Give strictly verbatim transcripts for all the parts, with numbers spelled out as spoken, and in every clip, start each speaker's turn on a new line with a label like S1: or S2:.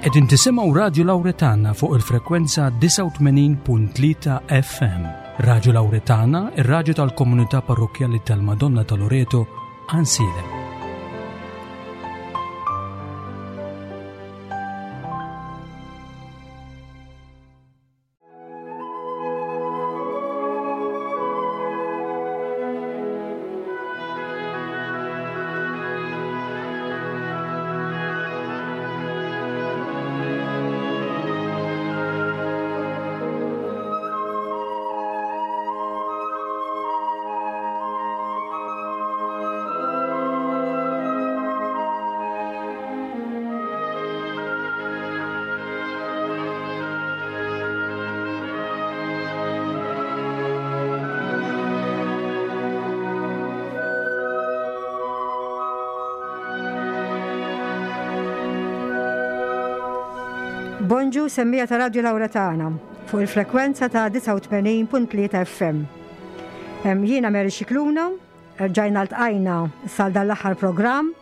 S1: Qegħdin tisimgħu Radju Lawretana fuq il-frekwenza disgħa u tmenin punt tlieta F M. Radju Lawretana, ir-radju tal-komunità parrokkjali tal-Madonna ta' Loreto, Għajnsielem.
S2: Bonġu semmija ta' Radju Lawretana fuq il-frekwenza ta' disgħa u tmenin punt tlieta F M. Em, jiena Mary Scicluna, rġajna ltqajna sal dan l-aħħar programm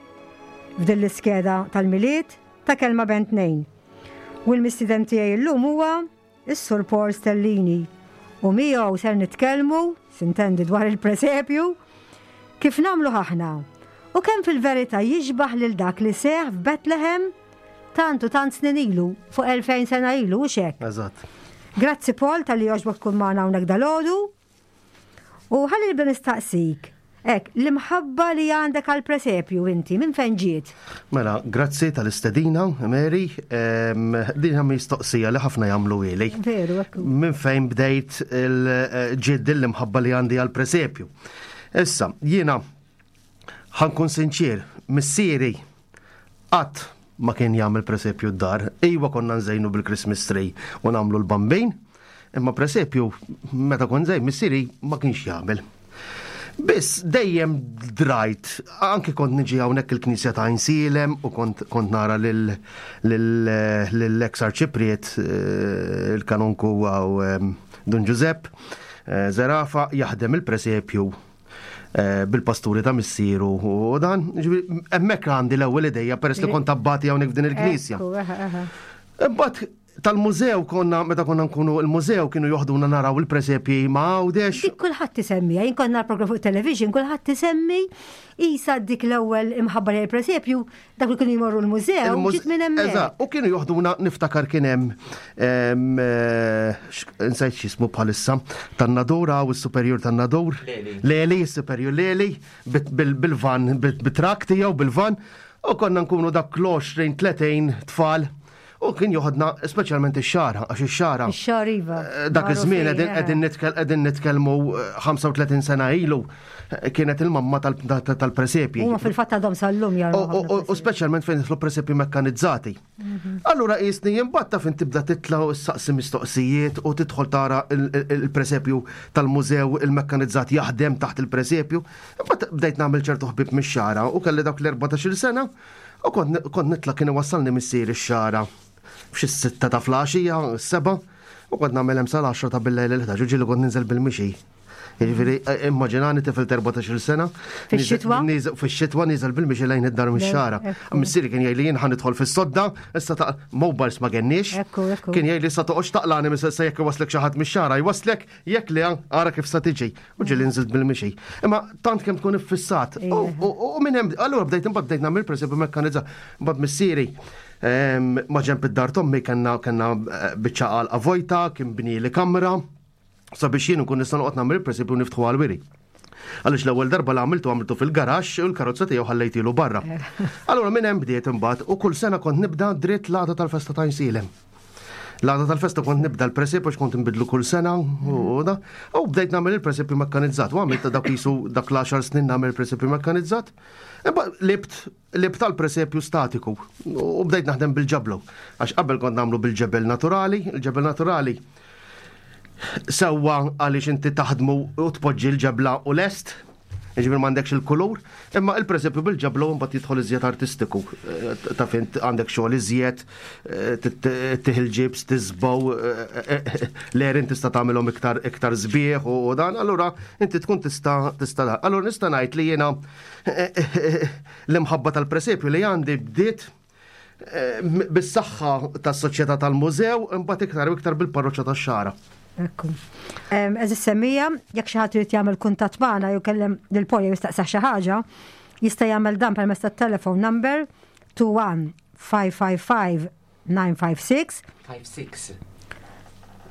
S2: f'din l-iskeda tal-Milied ta' Kelma Bejn Tnejn. U l-mistieden tiegħi llum huwa is-Sur Paul Stellini u miegħu ser nitkellmu, sintendi, dwar il-presepju, kif nagħmlu aħna u kemm fil-verità jixbaħ lil dak li seħ f'Bethlehem tant u tant snin ilu, fuq elfejn sena ilu, u xek.
S3: Eżatt.
S2: Grazzi Paul tal-li għoġbok tkun magħna hawnhekk dalgħodu. U ħalli nibda nistaqsik, hekk, l-imħabba li għandek għall-presepju inti, minn fejn ġiet?
S3: Mela, grazzi tal-istedina, Mary. Ehm, din hija mistoqsija li ħafna jagħmlu ili.
S2: Veru, ekku.
S3: Minn fejn bdejt il-ġiet din l-imħabba li għandi għall-presepju. Issa, jiena ħankun sinċir, missieri qatt ma kien jagħmel presepju d-dar. Iwa konna nżejnu bil-Christmas tree u nagħmlu l-bambin, imma presepju meta kont żejn missieri ma kienx jagħmel. Biss dejjem drajt, anki kont niġi hawnhekk il-Knisja ta' Għajnsielem u kont, kont nara lil, lil, lill-ex arċipriet, eh, il-kanonku għaw, eh, Dun Giuseppe, eh, Zerafa jaħdem il-presepju, eh, bil-pasturi ta' missieru u dan, ġifieri, hemmhekk għandi l-ewwel idejja peress li kont abbati hawnhekk f'din il-knisja.
S2: Ekku, eħe, eħe.
S3: Imbagħad tal-mużew konna, meta konna nkunu il-mużew kienu joħduna naraw il-presepji ma' Għawdex.
S2: Dik kulħadd isemmi, jien konna nara programm fuq television, kulħadd isemmi isa dik l-ewwel imħabba lejn il-presepju, dak li kienu jmorru l-mużew,
S3: Il-muż-
S2: ġiet minn hemmhekk.
S3: Eżatt, u kienu joħduna niftakar kien hemm, ehm, eh, x-, insejt x'ismu bħalissa, tan-Nadur, hawn is-superjur tan-Nadur.
S4: Leli.
S3: Leli, is-superjur Leli, bit-, bil-, bil-van, bit-, bit-trak tiegħu bil-van, u konna nkunu dak l-għoxrin, tletin tfal. U kien joħodna speċjalment ix-xara, għax ix-xara.
S2: Ix-xara, iva.
S3: Eh, dak iż-żmien
S2: Magħrufin,
S3: qegħdin,
S2: eh.
S3: qegħdin nitkel-, qegħdin nitkellmu, eh, ħamsa u tletin sena ilu, eh, kienet il-mamma tal-, tal-, tal-presepji.
S2: Huma fil-fatt għadhom sal-lum jaraw
S3: U, u,
S2: ħafna
S3: u, u
S2: presepji.
S3: speċjalment fejn jidħlu presepji mekkanizzati.
S2: Mhm.
S3: Allura qisni jimbatta fejn tibda titla' u ssaqsi mistoqsijiet u tidħol tara il-, il-, il-presepju tal-mużew il-mekkanizzat jaħdem taħt il-presepju. Imbagħad bdejt nagħmel ċertu ħbieb mix-xara u kelli dawk l-erbatax-il sena u kont, kont nitla' kien iwassalni missieri x-xara f'xi sitta ta' flaxija, s-seba', u kont nagħmel hemm sal-għaxra ta' bil-lejl il-ħdax, u ġieli kont ninżel bil-mixi. Jiġifieri, eh, immaġinani tifel ta' erbatax-il sena.
S2: Fix-xitwa?
S3: Niż-, fix-xitwa niżel bil-mixi lejn id-dar mix-xara.
S2: Ekku.
S3: Missieri kien jgħidli jien ħa nidħol fis-sodda, issa ta' mobiles ma kenniex.
S2: Ekku, ekku.
S3: Kien jgħidli sa toqgħodx taqlani mis-, sa jekk iwaslek xi ħadd mix-xara, jwaslek jekk le ara kif sa tiġi. U ġieli nżilt bil-mixi. Imma tant kemm tkun iffissat.
S2: Ija.
S3: U, u, u minn hemm, allura bdejt imbagħad bdejt nagħmel pereżempju mekkanizza. Mbagħad missieri, ehm, ma ġenb id-dar tommi kellna, kellna, eh, biċċa għalqa vojta, kien bni li kamra, sabiex jien nkun nista' noqgħod nagħmel pereżempju niftħu għall-wiri. Għaliex l-ewwel darba li għamiltu għamiltu fil-garaxx u l-karozza tiegħu ħallejtilu barra. Allura minn hemm bdiet imbagħad u kull sena kont nibda dritt l-għada tal-festa ta' Għajnsielem. L-għada tal-festa kont nibda l-presepju għax kont nbidlu kull sena u da. U bdejt nagħmel il-presepju mekkanizzat. U għamilt dak qisu dak l-għaxar snin nagħmel il-presepju mekkanizzat. Imma libt, libt tal-presepju statiku u bdejt naħdem bil-ġablu. Għax qabel kont nagħmlu bil-ġebel naturali, il-ġebel naturali sewwa għaliex inti taħdmu u tpoġġi l-ġebla u lest, jiġifieri m'għandekx il-kulur, imma il-presepju bil-ġebla u mbagħad jidħol iżjed artistiku. Eh, ta' fejn għandek xogħol iżjed, eh, t-, t-, tieħ il-ġibs, tiżbow, eh, eh, eh, l-erin tista' tagħmilhom iktar, iktar sbieħ u, u dan, allura inti tkun tista' tista' da. Allura nista' ngħid li jiena, eh, eh, eh, l-imħabba tal-presepju li għandi bdiet eh, bis-saħħa tas-soċjetà tal-mużew, imbagħad iktar u iktar bil-parroċċa tax-Xagħra.
S2: Ekku. Għeżież semmiegħa, jekk xi ħadd irid jagħmel kuntatt magħna jew kellem lil Paul jew jistaqsih xi ħaġa, jista' jagħmel dan permezz tat-telephone number two one five five five nine five six
S4: five six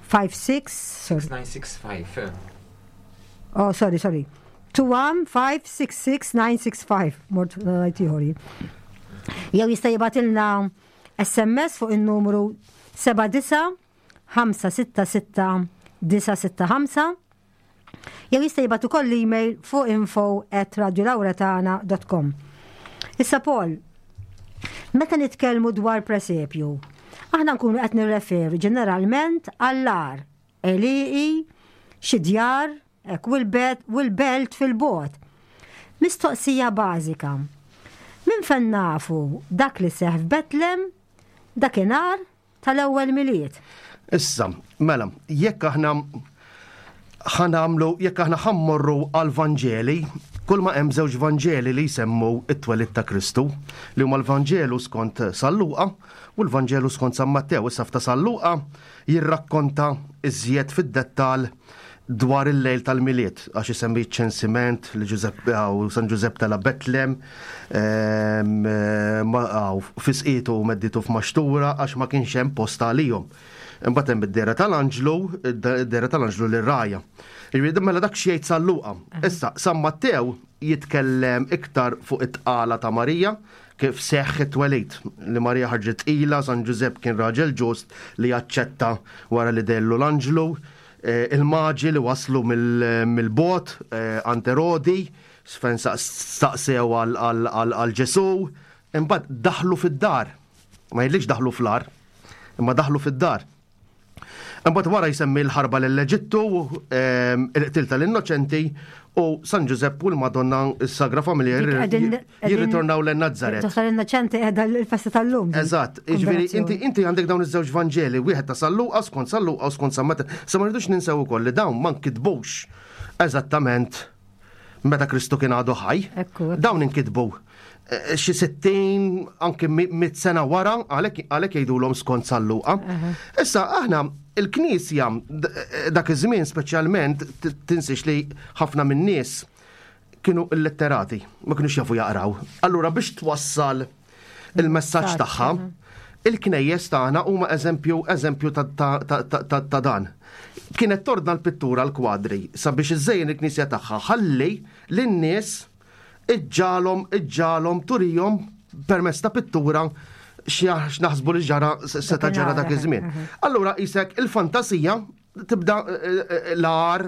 S2: five six, sorry.
S4: nine six five.
S2: Oh, sorry, sorry. two one five six six nine six five. Mort ngħid ieħor. Jew jista' jibgħatilna S M S fuq in-numru seven nine five six six nine six five, jew jista' jibgħat ukoll email fuq info at radiolauretana dot com. Issa Paul, meta nitkellmu dwar presepju, aħna nkunu qed nirreferu ġeneralment għall-għar, għelieqi, xi djar, hekk, u l-belt fil-bogħod. Mistoqsija bażika. Min fejn nafu dak li seħ f'Betlem dakinhar tal-ewwel Milied?
S3: Issa, mela, jekk aħna ħa nagħmlu, jekk aħna ħa mmorru għal-Vanġeli, kull ma hemm żewġ Vanġeli li jsemmu it-twelid ta' Kristu, li huma l-Vanġelu skont San Luqa u l-Vanġelu skont San Mattew. Issa f'ta' San Luqa jirrakkonta iżjed fid-dettal dwar il-lejl tal-Milied, għax isemmi ċensiment li Ġużepp u San Ġużepp tela' Betlem, fisqitu u medditu f'maxtura għax ma kienx hemm post għalihom. Imbagħad hemm id-dehra tal-anġlu, id-dehra tal-anġlu lir-rgħajja. Jiġifieri mela dak xejn San Luqa. Issa San Mattew jitkellem iktar fuq it-tqala ta' Marija, kif seħħ it-twelid, li Marija ħarġet tqila, San Ġużepp kien raġel ġust li jaċċetta wara li dehrlu l-anġlu, eh, il-maġi li waslu mill-bogħod għand Erodi, fejn staqsew għal Ġesu, imbagħad daħlu fid-dar. Ma jgħidlikx daħlu fl-għar, imma daħlu fid-dar. Imbagħad wara jsemmi l-ħarba l-Eġittu, il-qtil tal-innoċenti u San Ġużepp u l-Madonna, s-Sagra Familja, jirritornaw lejn Nazzaret.
S2: Tal-innoċenti qiegħda l-festa tal-lum.
S3: Eżatt, jiġifieri inti inti għandek dawn iż-żewġ Vanġeli, wieħed ta' San Luqa skont San Luqa u skont San Mattew. Sa ma rridux ninsew ukoll li dawn ma nkitbux eżattament meta Kristu kien għadu ħaj. Dawn inkitbu eh, xi sittin, anke mit sena wara, għalhekk għalhekk jgħidulhom skont San Luqa. Issa aħna il-Knisja dak iż-żmien speċjalment, tinsiex li ħafna min-nies kienu illitterati, ma kienux jafu jaqraw. Allura biex twassal il-messaġġ tagħha, il-knejjes tagħna huma eżempju eżempju ta' dan. Kienet tordna l-pittura, l-kwadri, sabiex iżejjen il-knisja tagħha ħalli lin-nies iġġalhom iġġalhom turihom permezz ta' pittura x'naħsbu li ġara, seta' ġara dak iż-żmien. Allura isek il-fantasija tibda eh, eh, l-għar,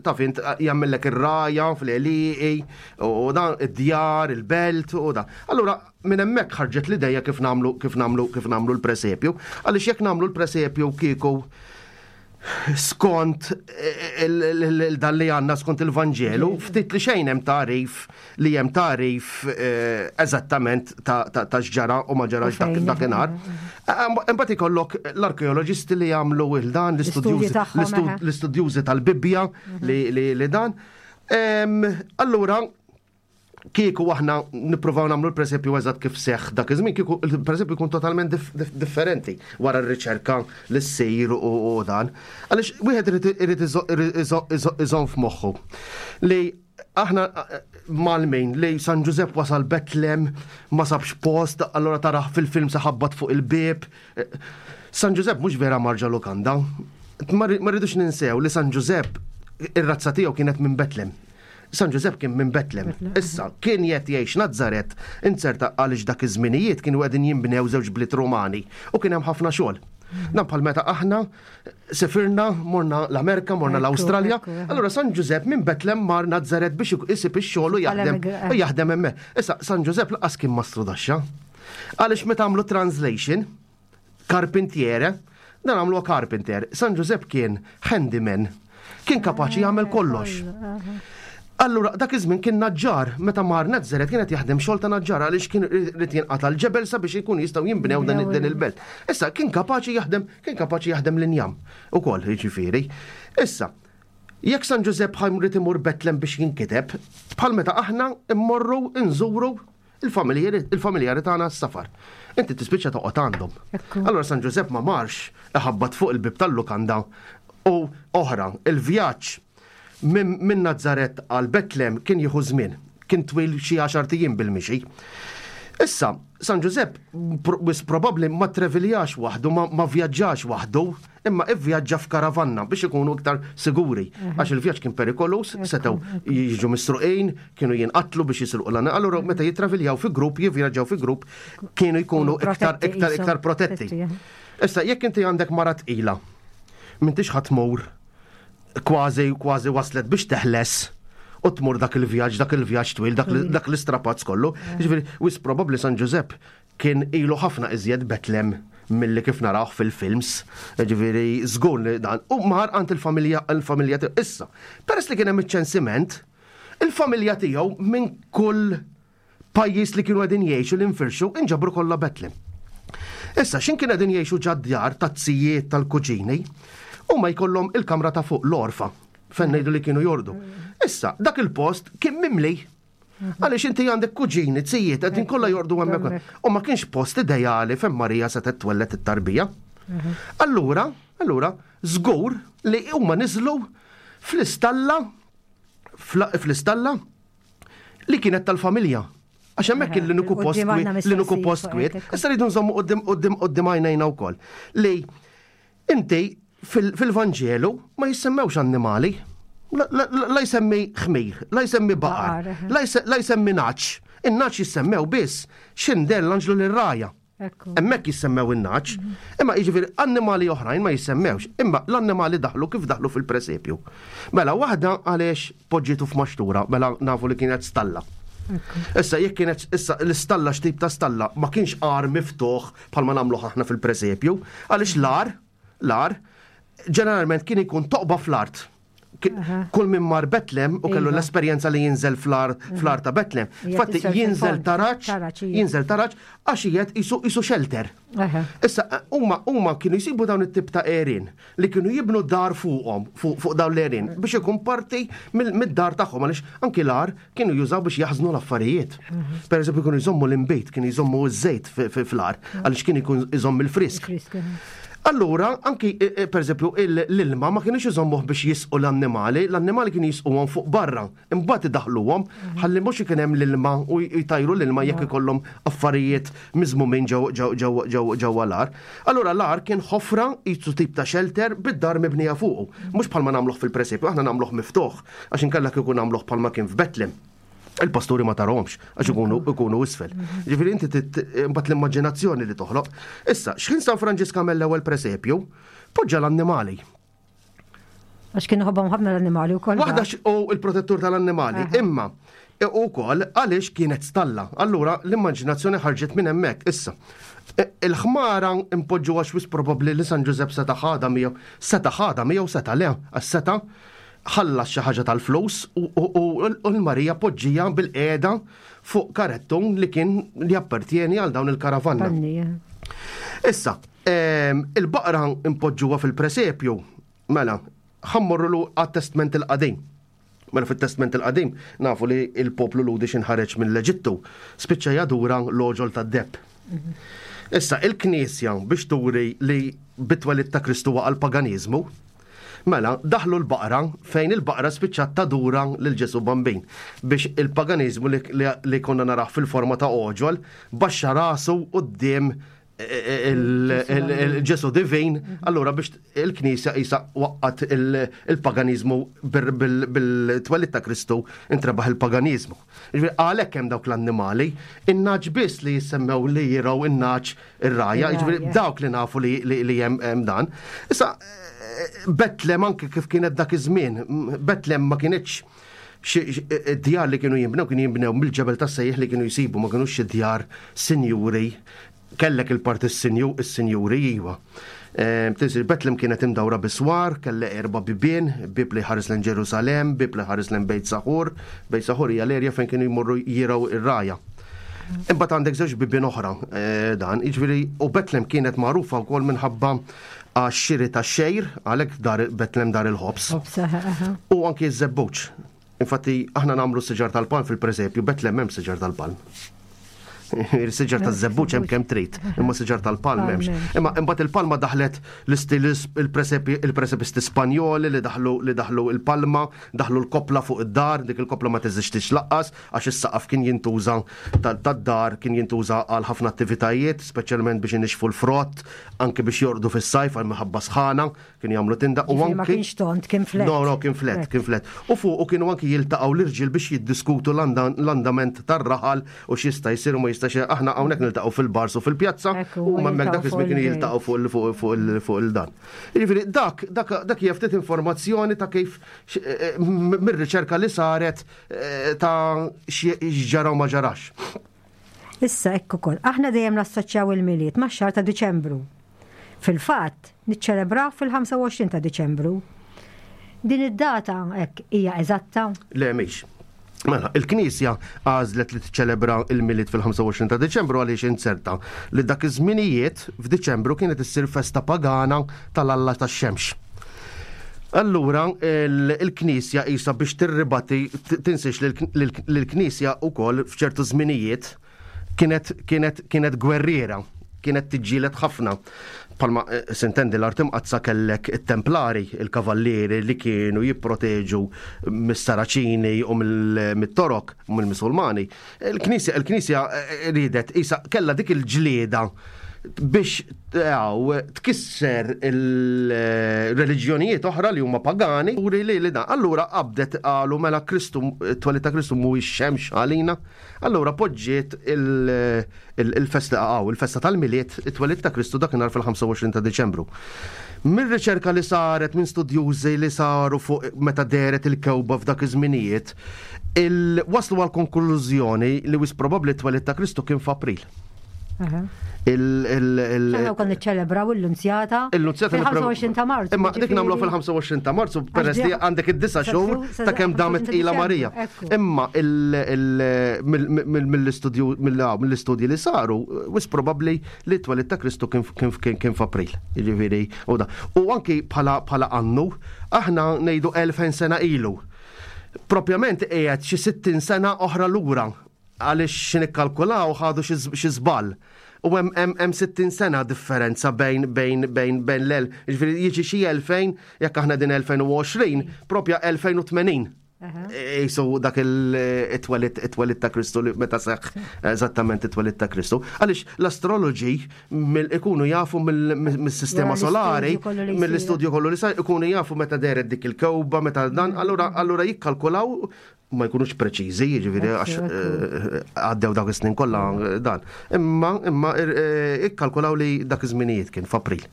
S3: taf int, jagħmellek ir-rgħajja fl-għelieqi u dan id-djar, il-belt u da. Allura minn hemmhekk ħarġet l-idea kif nagħmlu kif nagħmlu kif nagħmlu l-presepju. Għaliex jekk nagħmlu l-presepju kieku skont dan li għandna skont il-Vanġelu, ftit li xejn hemm tarif li hemm tarif eh, eżattament ta' x'ġara u ma ġarax dakinhar. Imbagħad ikollok l-arkeoloġisti li jagħmlu il-dan, l-istudjużi tal-Bibbja li dan. Allura, kieku aħna nippruvaw nagħmlu l-presepju eżatt kif seħ dak iż-żmien, kieku il-presepju jkun totalment differenti wara r-riċerka li ssir u dan. Għaliex wieħed irid iżomm f'moħħu li aħna malmin li San Ġużepp wasal Betlem, ma sabx post, allora taraħ fil-film saħabbat fuq il-bib. San Ġużepp mhux vera mar ġo lukanda. Ma rridux ninsew li San Ġużepp ir-razza tiegħu kienet minn Betlem. San Ġużepp kien minn Betlem. Issa, kien qed jgħix Nazzaret, inzerta għaliex dak iż-żminijiet kienu qegħdin jinbnew żewġ bliet Romani u kien hemm ħafna xogħol. Dan bħal meta aħna sefirna, morna l-Amerika, morna l-Awstralja. Allura San Ġużepp minn Betlem mar Nazzaret biex isib ix-xogħol u jaħdem u jaħdem hemmhekk. Issa San Ġużepp lanqas kien mastrudaxxa. Għaliex meta għamlu translation, carpentiere, dan għamlu carpenter. San Ġużepp kien handyman, kien kapaċi jagħmel kollox. Allura, dak iż-żmien kien naġġar, meta mar Nazzaret kienet jaħdem xogħol ta' naġġar għaliex kien irid jinqata' l-ġebel sabiex ikun jistgħu jinbnew dan din il-belt. Issa kien kapaċi jaħdem, kien kapaċi jaħdem l-injam ukoll, jiġifieri. Issa, jekk San Ġużepp ħa jrid imur Betlem biex jinkiteb, bħal meta aħna immorru nżuru Il-familjari tagħna s-safar. Inti tispiċċa toqgħod għandhom. Allora San Ġużepp ma marx iħabbat fuq il-bib tal-lukanda u oħra, il-vjaġġ minn Nazzaret għal Betlem kien jieħu żmien, kien twil xi għaxart ijiem bil-mixi. Issa, San Ġużepp wis probabbli ma treviljax waħdu, ma vjaġġax waħdu, imma ivvjaġġa f'karavanna biex ikunu iktar siguri. Għax il-vjaġġ kien perikolus, setgħu jiġu misruqin, kienu jinqatlu biex jisruqu l Allura meta jitraviljaw fi grupp, jivvjaġġaw fi grupp, kienu jkunu iktar iktar iktar protetti. Issa, jekk inti għandek mara tqila, m'intix ħa tmur kważi kważi waslet biex teħles u tmur dak il-vjaġġ, dak il-vjaġġ twil, dak l-istrapazz kollu. Ġifieri, wis probabbli San Ġużepp kien ilu ħafna iżjed Betlem milli kif narawh fil-films. Ġifieri, żgur li dan. U mar għand il-familja, il-familja tiegħu. Issa, peress li kien hemm iċ-ċensiment, il-familja tiegħu minn kull pajjiż li kienu qegħdin jgħixu li nfirxu inġabru kollha Betlem. Issa, x'in kien qegħdin jgħixu ġad-djar taz-zijiet tal-kuġini, u ma jkollhom il-kamra ta' fuq l-orfa, fejn ngħidu li kienu jordu. Issa, dak il-post kien mimli. Għaliex inti għandek kuġini, zijiet, qegħdin kollha jordu hemmhekk. U ma kienx post ideali fejn Marija setgħet twellet it-tarbija. Allura, allura, żgur li huma niżlu fl-istalla, fl-istalla li kienet tal-familja. Għax hemmhekk kien l-uniku post kwiet, l-uniku post kwiet. Issa rridu nżommu quddiem quddiem quddiem għajnejna wkoll. Li inti fil-Vanġelu ma jissemmewx annimali. La jsemmi ħmir, la jsemmi baqar, la jsemmi nagħaġ. In-nagħaġ jissemmew biss x'indeher l-anġlu lir-rgħajja. Hemmhekk jissemmew in-nagħaġ. Imma jiġifieri annimali oħrajn ma jissemmewx. Imma l-annimali daħlu kif daħlu fil-presepju. Mela waħda għaliex poġġitu f'maxtura, mela nafu li kienet stalla. Issa jekk kienet issa l-istalla x'tip ta' stalla ma kienx għar miftuħ bħalma nagħmlu aħna fil-presepju, għaliex l-għar, l-għar ġeneralment kien ikun toqba fl-art. Kull min mar Betlem u kellu l-esperjenza li jinżel fl-għar ta' Betlem. Fatti jinżel taraġ, jinżel taraġ għax qiegħed isu shelter. Issa huma huma kienu jsibu dawn it-tip ta' għerien li kienu jibnu dar fuqhom, fuq dawn l-għerien biex ikun parti mid-dar tagħhom għaliex anki l-għar kienu jużaw biex jaħżnu l-affarijiet. Per eżempju kienu jżommu l-inbejt, kienu jżommu ż-żejt fl-għar għaliex kien ikun iżomm il-frisk. Allura, anki, per eżempju, l-ilma ma kienux iżommuh biex jisqu l-annimali, l-annimali kienu jisquhom fuq barra, imbagħad idaħluhom, ħalli mhux ikun hemm l-ilma u jtajru l-ilma jekk ikollhom affarijiet miżmumin ġewwa l-għar. Allura l-għar kien ħofra jisu tip ta' shelter bid-dar mibnija fuqu. Mhux bħalma nagħmluh fil-presepju, aħna nagħmluh miftuħ, għax inkella kieku nagħmluh bħalma kien f'Betlem. Il-pasturi ma tarahomx, għax ikunu ikunu isfel. Ġifieri inti mbagħad l-immaġinazzjoni li toħloq. Issa, x'ħin San Franġisk għamel l-ewwel presepju, poġġa l-annimali.
S2: Għax kienu ħobbhom ħafna l-annimali wkoll.
S3: Waħda u il-protettur tal-annimali, imma u wkoll għaliex kienet stalla. Allura l-immaġinazzjoni ħarġet minn hemmhekk. Issa, il-ħmara impoġġu għax wis probabbli li San Ġużepp seta' ħadha miegħu, seta' ħadha miegħu seta' le, għax seta' ħallas xi ħaġa tal-flus u l-Marija poġġija bil-qiegħda fuq karettun li kien li appartieni għal dawn il-karavanna. Issa, il-baqra impoġġuha fil-presepju, mela, ħa mmorru għat-Testment il-Qadim. Mela fit-Testment il-Qadim nafu li il-poplu Lhudi x'inħareġ mill-Eġittu, spiċċa jadura l-għoġol tad-deheb. Issa, il-Knisja biex turi li bit-twelid ta' Kristu waqa' l-paganiżmu, mela, daħlu l-baqra fejn il-baqra spiċċat tadura lil Ġesu Bambin biex il-paganiżmu li konna naraħ fil-forma ta' għoġol baxxa rasu quddiem il-Ġesu divin, allura biex il-Knisja isa waqqat il-paganiżmu bil-twelid ta' Kristu intrebaħ il-paganiżmu. Għalhekk hemm dawk l-annimali, in-nagħaġ biss li jissemmew li jiraw in-nagħaġ ir-rgħajja, jiġifieri dawk li nafu li hemm dan. Issa, Betlem anke kif kienet dak iż-żmien, Betlem ma kienitx djar li kienu jinbnew, kienu jinbnew mill-ġebel tas-sejħ li kienu jsibu, ma kienux xi djar sinjuri. Kellek il-parti s-sinjuri iwa. Tinsir Betlem kienet imdawra biswar, kelle erba' bibien, bib li ħares lejn Ġerusalem, bib li ħares lejn Bejt Saħur, Bejt Saħur hija l-erja fejn kienu jmorru jiraw ir-rgħajja. Imbagħad għandek żewġ bibien oħra dan, jiġifieri u Betlem kienet magħrufa wkoll minħabba għax-xiri tax-xejr, għalhekk dar Betlem dar il-ħobż. U anki ż-żebbuġ. Infatti aħna nagħmlu siġar tal-palm fil-presepju, Betlem hemm siġar tal-palm. Il-siġar taż-żebbuġ hemm kemm trid, imma siġar tal-palm m'hemmx. Imma imbagħad il-palma daħlet l-istil il-presepisti Spanjoli li daħlu li daħlu il-palma, daħlu l-kopla fuq id-dar, dik il-kopla ma teżistix lanqas għax is-saqaf kien jintuża tad-dar, kien jintuża għal ħafna attivitajiet, speċjalment biex inixfu l-frott, anke biex jorqdu fis-sajf għal minħabba sħana, kienu jagħmlu tinda
S2: u anke. Ma kienx tond, kien flat.
S3: No, no, kien flat, kien flat. U fuq u kienu anki jiltaqgħu l-irġiel biex jiddiskutu l-andament tar-raħal u x'jista' jsir u ma jistax. Aħna hawnhekk niltaqgħu fil-bars u fil-pjazza u hemmhekk dak iż-żmien kienu jiltaqgħu fuq fuq il-dan. Jiġifieri dak dak dak hija ftit informazzjoni ta' kif eh, mir-riċerka li saret eh, ta' x'ġara u ma ġarax.
S2: Issa hekk ukoll, aħna dejjem nassoċjaw il-Milied max-xahar ta' Diċembru. Fil-fatt, niċċelebraw fil-ħamsa u għoxrin ta' Diċembru. Din id-data hekk hija eżatta?
S3: Le, mhix. Mela, il-Knisja għażlet li tiċċelebra il-Milied fil-ħamsa u għoxrin ta' Deċembru għaliex inzerta li dak iż-żminijiet f'Diċembru kienet issir festa pagana tal-Alla tax-xemx. Allura, il-Knisja isa biex tirribati, tinsiex li l-Knisja wkoll f'ċertu żminijiet kienet kienet kienet gwerriera, kienet tiġġieled ħafna. Palma eh, s'intendi l-Art Imqaddsa kellek it-templari, il-kavallieri li kienu jipproteġu mis-Saraċini u mill-Torok, u mill-Musulmani. Il-Knisja, il-Knisja eh, ridet, isa kella dik il-ġlieda biex għaw, tkisser il-reliġjonijiet oħra li huma pagani u li li dan. Allura qabdet qalu mela Kristu, it-twelid ta' Kristu mhuwiex xemx għalina. Allura poġġiet il-festa għaw, il-festa tal-Milied, it-twelid ta' Kristu dakinhar fil-ħamsa u għoxrin ta' Deċembru. Mir-riċerka li saret minn studjużi li saru fuq meta dehret il-kewba f'dak iż-żminijiet, waslu għal konklużjoni li wisq probabbli t-twelid ta' Kristu kien f'April.
S2: Il- il- il- Aħna wkoll niċċelebraw il-Lunzjata.
S3: Il-Lunzjata
S2: fil-ħamsa u għoxrin ta' Marzu.
S3: Imma dik nagħmlu fil-ħamsa u għoxrin ta' Marzu peress li għandek id-disa' xhur ta' kemm damet ila Marija. Imma mill-istudju mill-istudji li saru, wisq probabbli li t-twelid ta' Kristu kien f'April. Jiġifieri, u da. U anki bħala annu, aħna ngħidu elfejn sena ilu. Propjament qiegħed xi sittin sena oħra lura għaliex nikkalkulaw ħadu xi żball. U hemm hemm sittin sena differenza bejn bejn bejn bejn l-el. Jiġifieri jiġi xi elfejn, jekk aħna din elfejn u għoxrin, propja elfejn u tmenin. Isu dak il-twelid it-twelid ta' Kristu li meta seħħ eżattament it-twelid ta' Kristu. Għaliex l-astroloġi ikunu jafu mill-sistema solari, mill-istudju kollu li sar, ikunu jafu meta dehret dik il-kewba, meta dan, allura allura jikkalkulaw, ma jkunux preċiżi, jiġifieri għax eh, għaddew dak is-snin kollha dan. Imma imma eh, ikkalkulaw li dak iż-żminijiet kien f'April.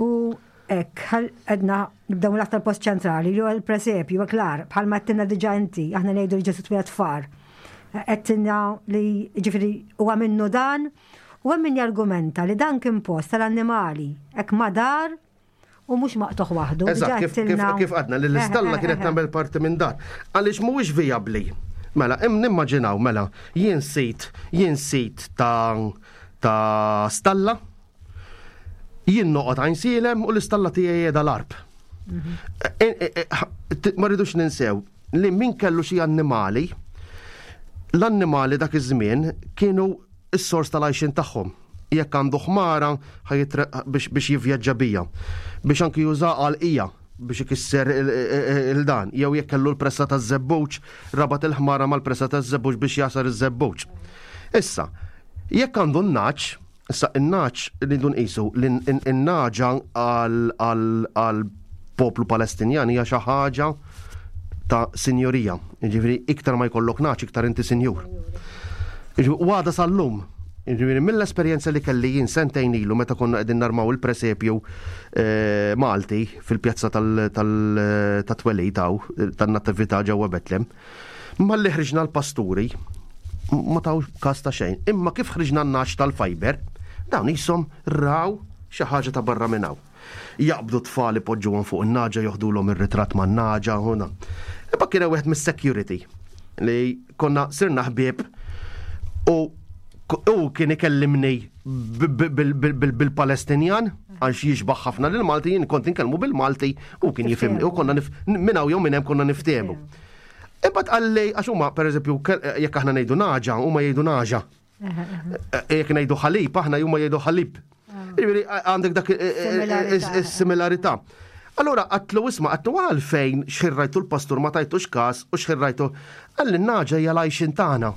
S2: U hekk, għedna nibdew l-aktar post ċentrali, li huwa l-presepju, klar, bħalma għedtilna diġà inti, aħna ngħidu li Ġesù twieled f'għar. Għedtilna li ġifieri huwa minnu dan, u hemm min jargumenta li dan kien post tal-annimali, hekk madar u mhux maqtugħ waħdu.
S3: Eżatt, kif, kif, kif għadna li l-istalla kienet tagħmel parti minn dar. Għaliex mhuwiex vijabbli. Mela, im nimmaġinaw, mela, jien sit, jien sit ta' ta' stalla, jien noqgħod Għajnsielem u l-istalla tiegħi qiegħda l-Għarb. E, e, e, ma rridux ninsew li min kellu xi annimali, l-annimali dak iż-żmien kienu s-sors tal-għajxin tagħhom. Jekk għandu ħmara biex biex jivvjaġġa bija, biex anki juża għal ija biex ikisser il-dan, jew jekk kellu l-pressa taż-żebbuġ, rabat il-ħmara mal-pressa taż-żebbuġ biex jagħsar iż-żebbuġ. Issa, jekk għandu n-nagħaġ, issa n-nagħaġ li dun qisu n-nagħġa għal poplu Palestinjan hija xi ħaġa ta' sinjorija. Jiġifieri iktar ma jkollok nagħaġ, iktar inti sinjur. U għada sal-lum, jiġifieri mill-esperjenza li kelli jien sentejn ilu meta konna qegħdin narmaw il-presepju eh, Malti fil-pjazza tat-twelid tan-nattività ġewwa Betlem, malli ħriġna l-pasturi, ma taw kas ta' xejn. Imma kif ħriġna n-nagħaġ tal-fiber, dawn jisom raw xi ħaġa ta' barra minn hawn. Jaqbdu tfal ipoġġuhom fuq in-nagħġa, joħdulhom ir-ritratt man-nagħġa huna. Imma kien wieħed mis-security li konna sirna ħbieb u u kien ikellimni bil-Palestinjan għax jixbaħ ħafna lil Malti, jien kont inkellmu bil-Malti u kien jifhimni u konna minn hawn jew minn hemm konna niftehmu. Imbagħad qalli, għax huma pereżempju jekk aħna ngħidu nagħġa, huma jgħidu naġa. Jekk ngħidu ħalib, aħna huma jgħidu ħalib. Jiġifieri għandek dak is-similarità. Allora għedtlu isma', għedtlu għalfejn x'ħin rajtu l-pastur ma tajtux kas u x'ħin rajtu, qalli n-nagħġa hija l-għajxien tagħna.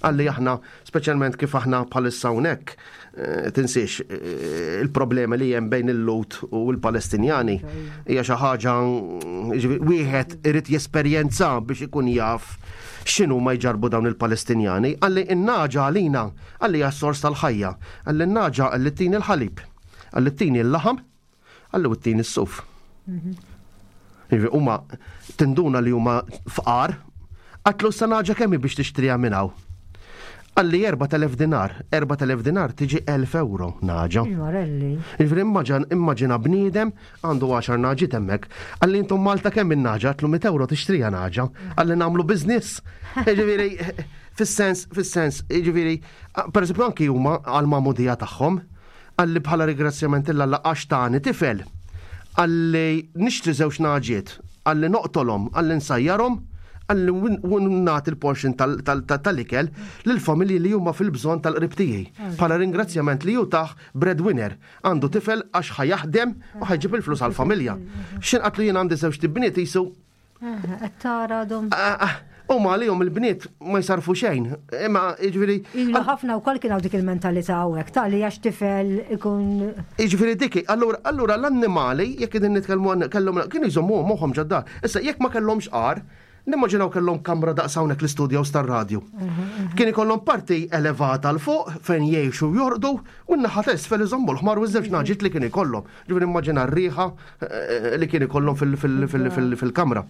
S3: Qalli aħna, speċjalment kif aħna bħalissa hawnhekk, eh, tinsiex eh, il-problemi li hemm bejn il-Lhud u l-Palestinjani hija xi ħaġa, jiġifieri, wieħed irid jesperjenza biex ikun jaf x'inhu ma jġarbu dawn il-Palestinjani. Qalli n-nagħġa għalina, qalli hija s-sors tal-ħajja. Qalli n-nagħġa qalli ttini l-ħalib, qalli ttini l-laħam, qalli u ttini s-suf. Jiġifieri, huma tinduna li huma fqar, għedtlu sa nagħġa kemm hi biex tixtriha minn hawn? Qalli erbat elef dinar, erbat elef dinar tiġi elf euro nagħġa.
S2: Il-Marelli.
S3: Jiġifieri immaġin immaġina bniedem għandu għaxar nagħġiet hemmhekk. Qalli intom Malta kemm in-nagħġa? Għedtlu mitt euro tixtrija nagħġa. Qalli nagħmlu business. Jiġifieri fis-sens, fis-sens, jiġifieri, per eżempju anki huma għal-magħmudija tagħhom, qalli bħala ringrazzjament 'l Alla għax tani tifel. Qalli nixtri żewġ nagħġiet, qalli noqtolhom, qalli nsajjarhom, qalli nagħti il-portion tal-ikel lill-familji li huma fil-bżonn tal-qrib tiegħi. Bħala ringrazzjament li hu tah breadwinner, għandu tifel għax ħa jaħdem u ħa jġib il-flus għall-familja. X'ħin għedtlu jien għandi żewġ bniet jisu
S2: Qed tara dom.
S3: Huma għalihom il-bniet ma jsarfu xejn. Imma jiġifieri
S2: Ilu ħafna wkoll kien hawn dik il-mentalità hawnhekk ta' li għax tifel ikun
S3: Jiġifieri diki, allura allura l-annimali jekk qegħdin nitkellmu għan- kellhom kienu jżommu moħħhom ġod-dar. Issa jekk ma kellhomx għar, nimmaġinaw kellhom kamra daqs hawnhekk l-istudjo tar-radju. Kien ikollhom parti elevata 'l fuq fejn jgħixu jorqdu u n-naħa t'isfel iżommu l-ħmar u ż-żewġ nagħġiet li kien ikollhom. Ġifieri immaġina r-riħa eh, li kien ikollhom fil- fil- fil- fil- fil-kamra.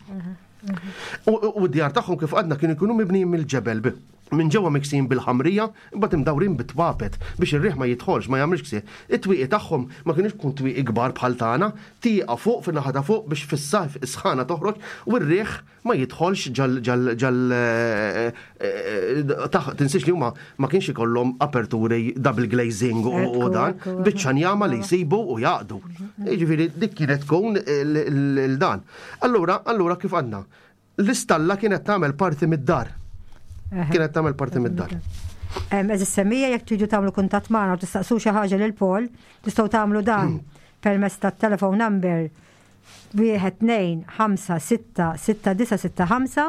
S3: U u d-djar tagħhom kif għadna kienu jkunu mibnijin mill-ġebel bi- minn ġewwa miksin bil-ħamrija, imbagħad imdawrin bit-twapet biex ir-riħ ma jidħolx, ma jagħmilx ksieħ. It-twieqi tagħhom ma kienux kun twieqi kbar bħal tagħna, tieqa fuq fin-naħa ta' fuq biex fis-sajf is-sħana toħroġ u r-riħ ma jidħolx ġal ġal ġal eh, eh, taħ tinsiex li huma ma kienx ikollhom aperturi double glazing u u
S2: Ekku,
S3: dan,
S2: ekku.
S3: biċċa njama li jsibu u jaqdu. Jiġifieri dik kienet tkun il-dan. Allura, allura kif għandna? L-istalla kienet tagħmel parti mid-dar. Kienet tagħmel parti mid-dar.
S2: Għeżież semmiegħa, jekk tridu tagħmlu kuntatt magħna u tistaqsu xi ħaġa lil Paul, tistgħu tagħmlu dan permezz tat-telephone number wieħed tnejn ħamsa sitta sitta disa' sitta ħamsa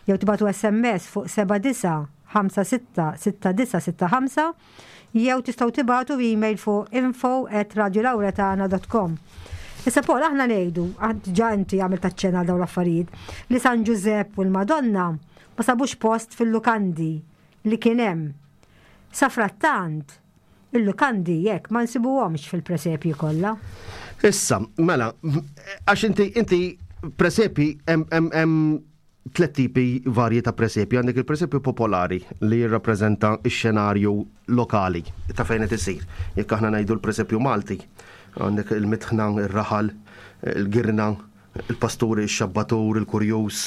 S2: jew tibagħtu S M S fuq seba' disa' ħamsa sitta sitta disa' sitta ħamsa jew tistgħu tibagħtu email fuq info at radiolauretana dot com. Issa Paul, aħna ngħidu, ġa inti għamilt aċċenn għal dawn l-affarijiet, li San Ġużepp u l-Madonna ma sabux post fil-lukandi li kien hemm. Sa frattant, il-lukandi jekk ma nsibuhomx fil-presepji kollha.
S3: Issa, mela, għax inti inti presepi hemm hemm hemm tliet tipi varji ta' presepi. Għandek il-presepju popolari li jirrappreżenta x-xenarju lokali ta' fejn qed isir. Jekk aħna ngħidu l-presepju Malti, għandek il-mitħna, ir-raħal, il-girna, il-pasturi, il-xabbatur, il-kurjus,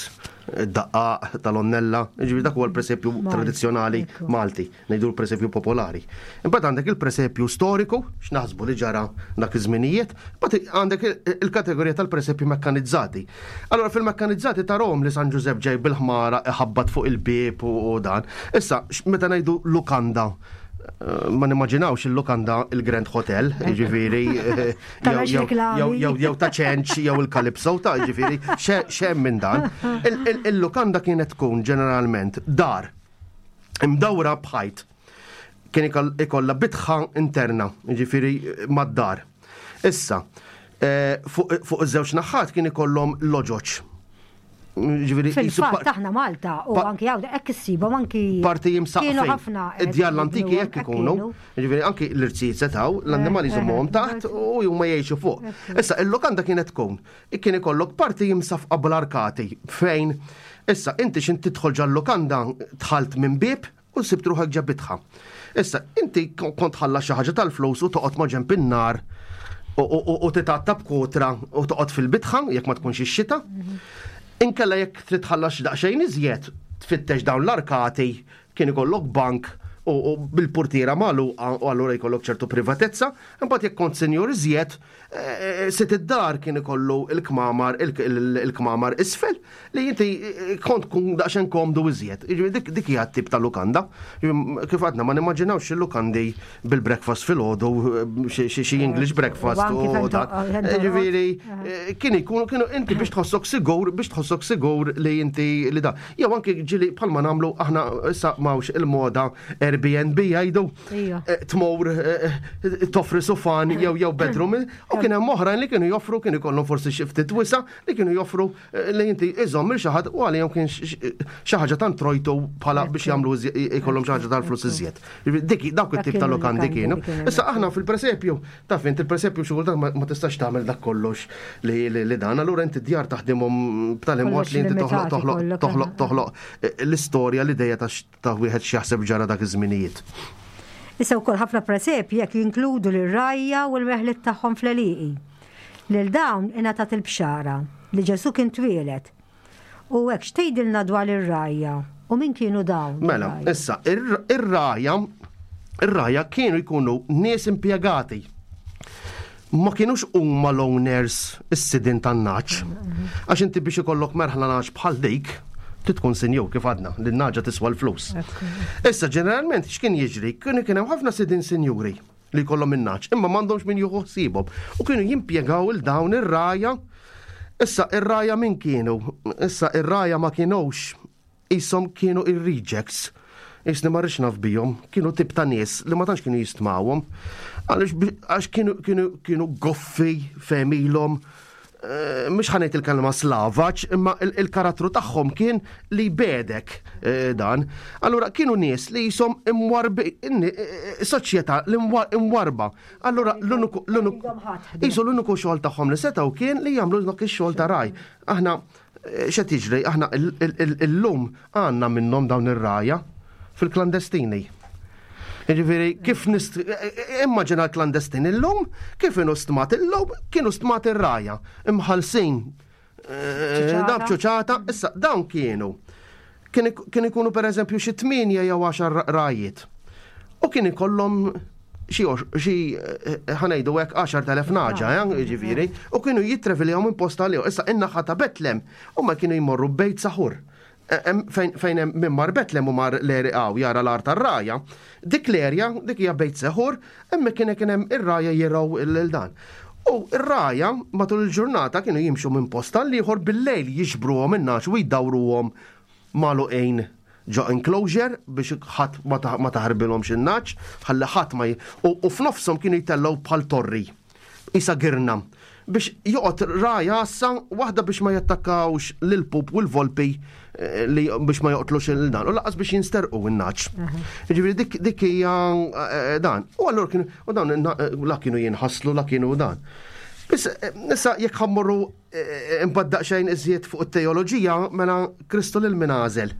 S3: id-daqqaq tal-onnella, ġifieri dak huwa l-presepju
S2: Malti,
S3: tradizzjonali
S2: ekku.
S3: Malti, ngħidu l-presepju popolari. Imbagħad għandek il-presepju storiku, x'naħsbu li ġara dak iż-żminijiet, imbagħad għandek il- il-kategorija tal-presepju mekkanizzati. Allora fil-mekkanizzati tarahom li San Ġużepp ġej bil-ħmara iħabbat fuq il-bieb u u dan. Issa, x- meta ngħidu lukanda, eh, ma nimmaġinawx il-lukanda il-Grand Hotel, ġifieri, eh,
S2: Tara
S3: jew- jew-
S2: x'reklami.
S3: jew jew jew ta' ċenċ jew il-Calypso ta' ġifieri, xem minn dan. Il- il- Il-lukanda kienet tkun ġeneralment dar imdawra b'ħajt. Kien ikoll- ikollha bitħa interna, ġifieri mad-dar. Issa, eh, fuq fuq iż-żewġ naħat kien ikollhom loġoċ. Ġifieri jisu
S2: Fil-fatt
S3: par-
S2: aħna Malta u
S3: pa-
S2: anki hawn hekk issibhom anki
S3: parti
S2: kienu
S3: jimsaqfin.
S2: ħafna
S3: Id-djar l-antiki jekk ikunu. Ġifieri anki l-irzijiet setaw, l-annimali
S2: Eh,
S3: jżommuhom
S2: eh,
S3: taħt u huma jgħixu fuq. Issa, il-lokanda kienet tkun, kien ikollok parti jimsafqa bl-arkati fejn issa inti x'ħin tidħol ġal-lokanda dħalt minn bib u sibt ruħek ġo bitħa. Issa, inti kont tħallas xi ħaġa tal-flus u toqgħod ma' ġenb in-nar u- u u titgħatta b'kotra u toqgħod fil-bitħa jekk ma tkunx ix-xita. Inkella jekk trid tħallas daqsxejn iżjed, tfittex dawn l-arkati, kien ikollok bank u bil-portiera magħluqa u allura jkollok ċertu privatezza, imbagħad jekk kont senjur iżjed, eh, sid id-dar kien ikollu il-kmamar il-kmamar isfel li inti eh, kont kun daqsxejn komdu iżjed. Dik dik hija tip ta' lukanda. Kif għadna ma nimmaġinawx il-lukandi bil-breakfast filgħodu, xi English breakfast u dak. Ġifieri kien ikunu kienu inti biex tħossok sigur, biex tħossok sigur li inti li da. Jew anke ġieli bħalma nagħmlu aħna issa m'hawnx il-moda Airbnb jgħidu eh, tmur eh, eh, toffri sufan jew jew bedroom u kien hemm oħrajn li kienu joffru kienu jkollhom forsi xi ftit wisa li kienu joffru li inti iżomm il xi ħadd u għalihom kien xi ħaġa tant trojtu bħala biex jagħmlu jkollhom xi ħaġa tal-flus iżjed. Dik dawk it-tip ta' lokandi kienu. Issa aħna fil-presepju, taf int il-presepju xi kultant ma tistax tagħmel dak kollox li dan, allura inti djar taħdimhom b'tali mod li inti toħloq toħloq toħloq toħloq l-istorja l-idea ta' wieħed x'jaħseb ġara dak iż-żminijiet.
S2: Issa wkoll ħafna presepji jekk jinkludu l-rgħajja u l-merħliet tagħhom fl-għelieqi. Lil dawn ingħatat il-bxara li Ġesu kien twieled. U hekk x'tgħidilna dwar ir-rgħajja u min kienu dawn?
S3: Mela, issa, ir-rgħajja ir-rgħajja kienu jkunu nies impjegati. Ma kienux huma l-owners is-sidin tan-nagħaġ. Għax inti biex ikollok merħla nagħaġ bħal dik, tkun sinjur kif għadna, li n-nagħġa tiswa l-flus. Issa, ġeneralment, x'kien jiġri? Kienu kien hemm ħafna sidin sinjuri li jkollhom in-nagħaġ, imma m'għandhomx min jieħu ħsiebhom. U kienu jimpjegaw il dawn ir-rgħajja. Issa, ir-rgħajja min kienu? Issa, ir-rgħajja ma kienux isom kienu ir-rejects. Isni ma rridx naf bihom, kienu tip ta' nies li ma tantx kienu jistmawhom. Għaliex kienu kienu kienu goffi f'għemilhom, eh, mhux ħa ngħid il-kelma slavaġ, imma il-karattru tagħhom kien li bedek eh, dan. Allura kienu nies li jisom imwarbi, eh, soċjetà li imwarba. Allura l-uniku l-uniku xogħol tagħhom li setgħu kien li jagħmlu dak ix-xogħol ta' ragħaj. Aħna x'qed jiġri, aħna illum għandna minnhom dawn ir-rgħajja fil-klandestini. Ġifieri, kif nist... Immaġina l-klandestin illum, kif kienu stmat illum, kienu stmat ir-rgħajja. Imħalsin. Dab ċuċata, issa dawn kienu. Kien ikunu per eżempju xi tmienja jew għaxar rgħajjiet. U kien ikollhom xi xi ħa ngħidu hekk għaxart elef nagħġa, ġifieri, u kienu jitreviljaw minn posta li Issa in-naħa ta' Betlem, u ma kienu jmorru Bejt Saħur fejn hemm min mar Betlem u mar l-area jara l-għar tar-rgħajja, dik l-erja, dik hija Bejt Seħur, hemmhekk kien kien hemm ir-rgħajja jirgħu lil dan. U ir-rgħajja matul il-ġurnata kienu jimxu minn posta l-ieħor bil-lejl jiġbruhom in-nagħaġ u jdawruhom magħluqin ġo enclosure biex ħadd ma taħarbilhomx in-nagħaġ, ħalli ħadd ma u f'nofshom kienu jtellgħu bħal torri. Isa girna biex joqgħod ragħaj għassa waħda biex ma jattakkawx lil-pup u l-volpi eh, li biex ma joqtlux il-dan u lanqas biex jinsterqu in-nagħaġ. Ġifieri dik dik hija eh, dan. U allura kienu u dawn la kienu jinħaslu la kienu dan. Biss eh, issa jekk ħa mmorru imbagħad daqsxejn iżjed fuq it-teoloġija mela Kristu lil min għażel.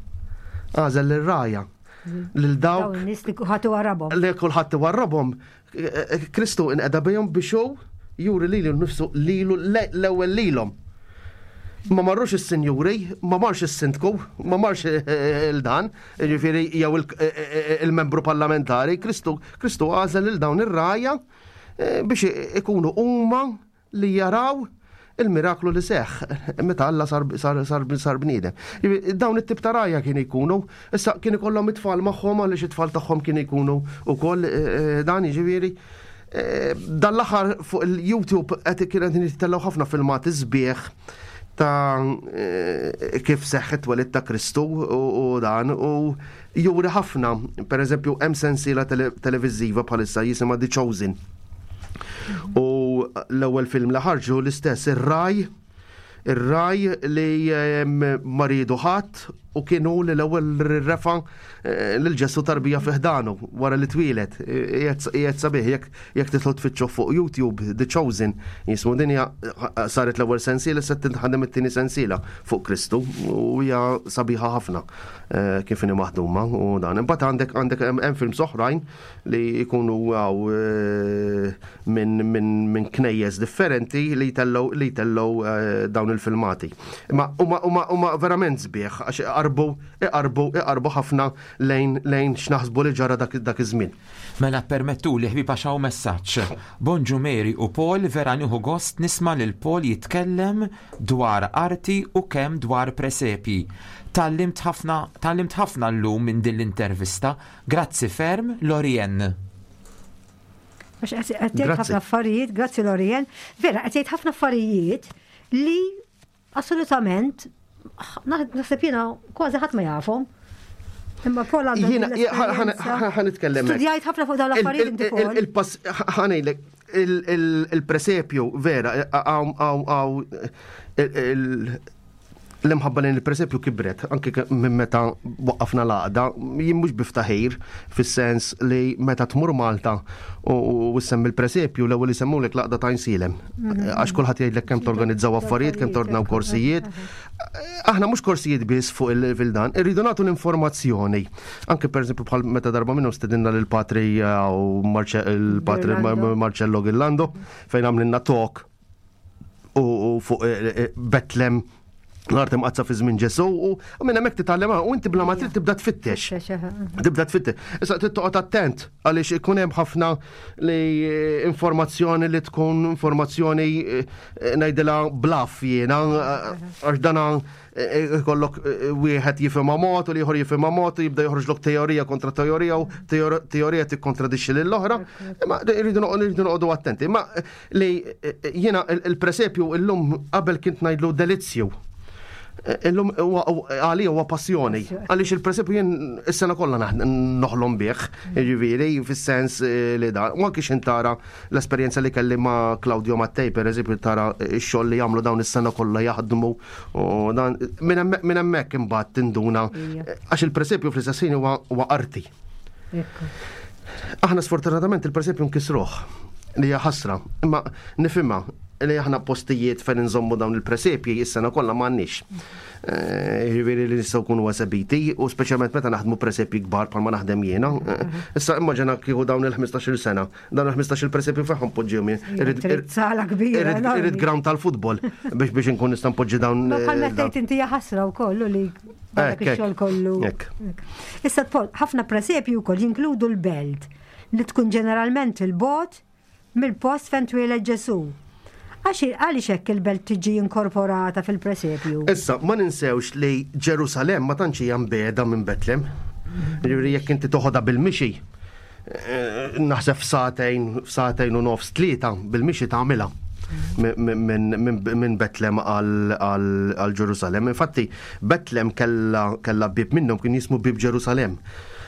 S3: Għażel lir-rgħajja. Lil dawk.
S2: Nies li kulħadd warrabhom.
S3: Li kulħadd warrabhom. Kristu inqeda bihom biex hu juri lilu nifsu lilu l-ewwel lilhom. Ma marrux is-sinjuri, ma marx is-sindku, ma marx il-dan, ġifieri jew il-membru parlamentari, Kristu Kristu għażel lil dawn ir-rgħajja eh, biex ikunu huma li jaraw il-miraklu li seħ, meta Alla sar, sar, sar, sar bniedem. Dawn it-tip ta' rgħajja kien ikunu, issa kien ikollhom it-tfal magħhom għaliex it-tfal tagħhom kien ikunu wkoll eh, dan jiġifieri. Eh, Dan l-aħħar fuq il-YouTube qed kien qed jittellgħu ħafna filmati sbieħ ta' eh, kif seħħet twelid ta' Kristu u u dan u juri ħafna, per eżempju, hemm sensiela tele televiżiva bħalissa jisimha The Chosen. U l-ewwel film li ħarġu l-istess ir-ragħaj, ir-ragħaj li em, ma riedu ħadd u kienu li l-ewwel refa eh, lil Ġesu tarbija fi ħdanu wara li twieled. Qiegħed sabiħ jekk jekk titlu tfittxu fuq YouTube The Chosen jismu din hija saret l-ewwel sensiela se tinħadem it-tieni sensiela fuq Kristu u hija sabiħa ħafna eh, kif inhi maħduma u dan. Imbagħad għandek għandek hemm films oħrajn li jkunu għaw eh, minn min, min knejjes differenti li jtellgħu li jtellgħu eh, dawn il-filmati. Imma huma huma huma verament sbieħ għax iqarbu, iqarbu, iqarbu ħafna lejn lejn x'naħsbu li ġara dak dak iż-żmien.
S4: Mela permettuli, ħbieb, għax hawn messaġġ. Bonġu Mary u Paul, vera nieħu gost nisma' lil Paul jitkellem dwar arti u kemm dwar presepi. Tgħallimt ħafna, tgħallimt ħafna llum minn din l-intervista. Grazzi ferm, Lorien.
S2: Għax qed qed jgħid
S3: Grazzi.
S2: ħafna affarijiet, grazzi Lorien, vera qed jgħid ħafna affarijiet li assolutament naħseb jiena kważi ħadd ma jafhom. Imma Paul għandu
S3: Jiena
S2: din l-esperjenza.
S3: ħa nitkellem hekk.
S2: Studjajt ħafna fuq dawn l-affarijiet inti, Paul.
S3: Il-pass, ħa ngħidlek, il-presepju, vera, għaw, għaw, għaw, l-imħabba lejn il-presepju kibret, anke ke- minn meta waqqafna l-għaqda, jien mhux biftaħir, fis-sens li meta tmur Malta u u ssemmi il-presepju, l-ewwel isemmulek l-Għaqda ta' Għajnsielem. Għax kulħadd jgħidlek kemm torganizzaw affarijiet, kemm tordnaw korsijiet. Aħna mhux korsijiet biss fuq il-dan, irridu nagħtu l-informazzjoni. Anke pereżempju bħal meta darba minnhom stedinna lil patri u il-patri
S2: Ghirlando.
S3: Marcello Ghirlando, fejn għamlilna talk u u fuq eh, eh, Betlem, l-art imqaddsa fi żmien Ġesu, u u minn hemmhekk titgħallem u inti bla ma trid tibda tfittex. Tibda tfittex. Issa trid toqgħod attent għaliex ikun hemm ħafna li eh, informazzjoni li tkun informazzjoni eh, ngħidilha bluff jiena, eh, għax dana eh, ikollok eh, wieħed jifhimha mod u l-ieħor jifhimha mod u jibda joħroġlok teorija kontra teorija u teor- teorija tikkontradixxi lill-oħra. Imma rridu noqogħdu rridu noqogħdu attenti. Imma eh, li eh, jiena il- il-presepju illum, qabel kint ngħidlu delizzju. Illum huwa- huwa- għalija huwa passjoni. Għaliex il-presepju jien is-sena kollha naħ- noħlom bih, jiġifieri fis-sens eh, li da. U anke x'in tara l-esperjenza li kelli ma' Claudio Mattei, per eżempju, tara x-xogħol li jagħmlu dawn is-sena kollha jaħdmu u dan minn hemmhekk- minn hemmhekk imbagħad tinduna
S2: Ija.
S3: għax il-presepju fl-istess ħin huwa huwa arti.
S2: Ekku.
S3: Aħna sfortunatament il-presepju nkisruh, li hija ħasra, imma nifhimha li aħna postijiet fejn nżommu dawn il-presepji is-sena kollha m'għandniex. Eh, Jiġifieri li nistgħu nkunu esebiti u speċjalment meta naħdmu presepji kbar bħalma naħdem jiena. Eh, Issa immaġina kieku dawn il-ħmistax-il sena, dawn il-ħmistax-il presepju fejn poġġihom jien. Irrid-
S2: Trid sala kbira,
S3: Irrid
S2: enormi.
S3: irrid ground tal-futbol biex biex inkun nista' npoġġi dawn.
S2: Ma bħal
S3: eh,
S2: meta tgħid inti hija ħasra wkoll u li dak
S3: Hekk,
S2: ix-xogħol
S3: hekk.
S2: kollu.
S3: Hekk.
S2: Hekk. Issa Paul, ħafna presepju wkoll jinkludu l-belt li tkun ġeneralment il-bogħod mill-post fejn twieled Ġesu. Għax għaliex hekk il-belt tiġi inkorporata fil-presepju?
S3: Issa, ma ninsewx li Ġerusalem ma tantx hija mbiegħda minn Betlem. Ġifieri jekk inti toħodha bil-mixi, eh, naħseb f'sagħtejn, f'sagħtejn u nofs, tlieta bil-mixi tagħmilha minn min, min Betlem għal għal Ġerusalem. Infatti, Betlem kella, kella bib minnhom kien jismu Bib Ġerusalem.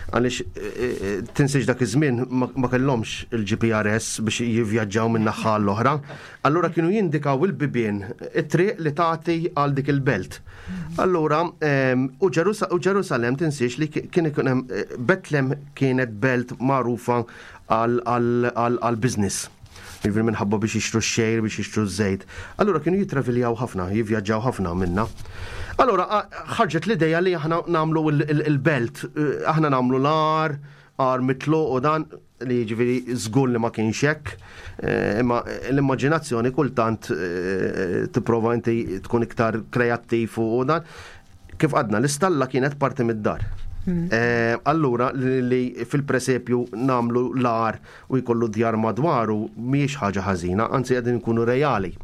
S3: Għaliex eh, eh, tinsiex dak iż-żmien ma ma kellhomx il-G P R S biex jivvjaġġaw minn naħa l-oħra. Allura kienu jindikaw il-bibien it-triq li tagħti għal dik il-belt. Allura em, u Ġerusa- u Ġerusalem tinsiex li kien ikun hemm eh, Betlem kienet belt magħrufa għal business. Jiġifieri minħabba biex jixtru x-xgħir, biex jixtru ż-żejt. Allura kienu jitraviljaw ħafna, jivvjaġġaw ħafna minna. Allura a- ħarġet l-ideja li aħna nagħmlu il- il- il-belt, eh, aħna nagħmlu l-għar, għar mitlu u dan li ġifieri żgur li ma kienx hekk, eh, imma l-immaġinazzjoni kultant eh, tipprova inti tkun iktar kreattiv u dan. Kif għadna, l-istalla kienet parti mid-dar. Eh, allura li, li fil-presepju nagħmlu l-għar u jkollu djar madwaru mhijiex ħaġa ħażina, anzi qegħdin nkunu reali.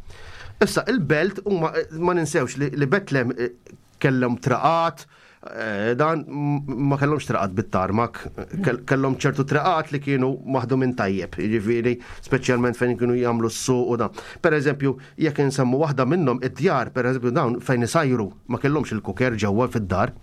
S3: Issa il-belt huma ma ninsewx li, li Betlem eh, kellhom traqat, eh, dan m- ma kellhomx traqat bit-tarmak, kell- kellhom ċertu traqat li kienu maħdumin tajjeb, jiġifieri speċjalment fejn kienu jagħmlu s-suq u dan. Per eżempju, jekk insemmu waħda minnhom id-djar, per eżempju dawn fejn isajru ma kellhomx il-cooker ġewwa fid-dar.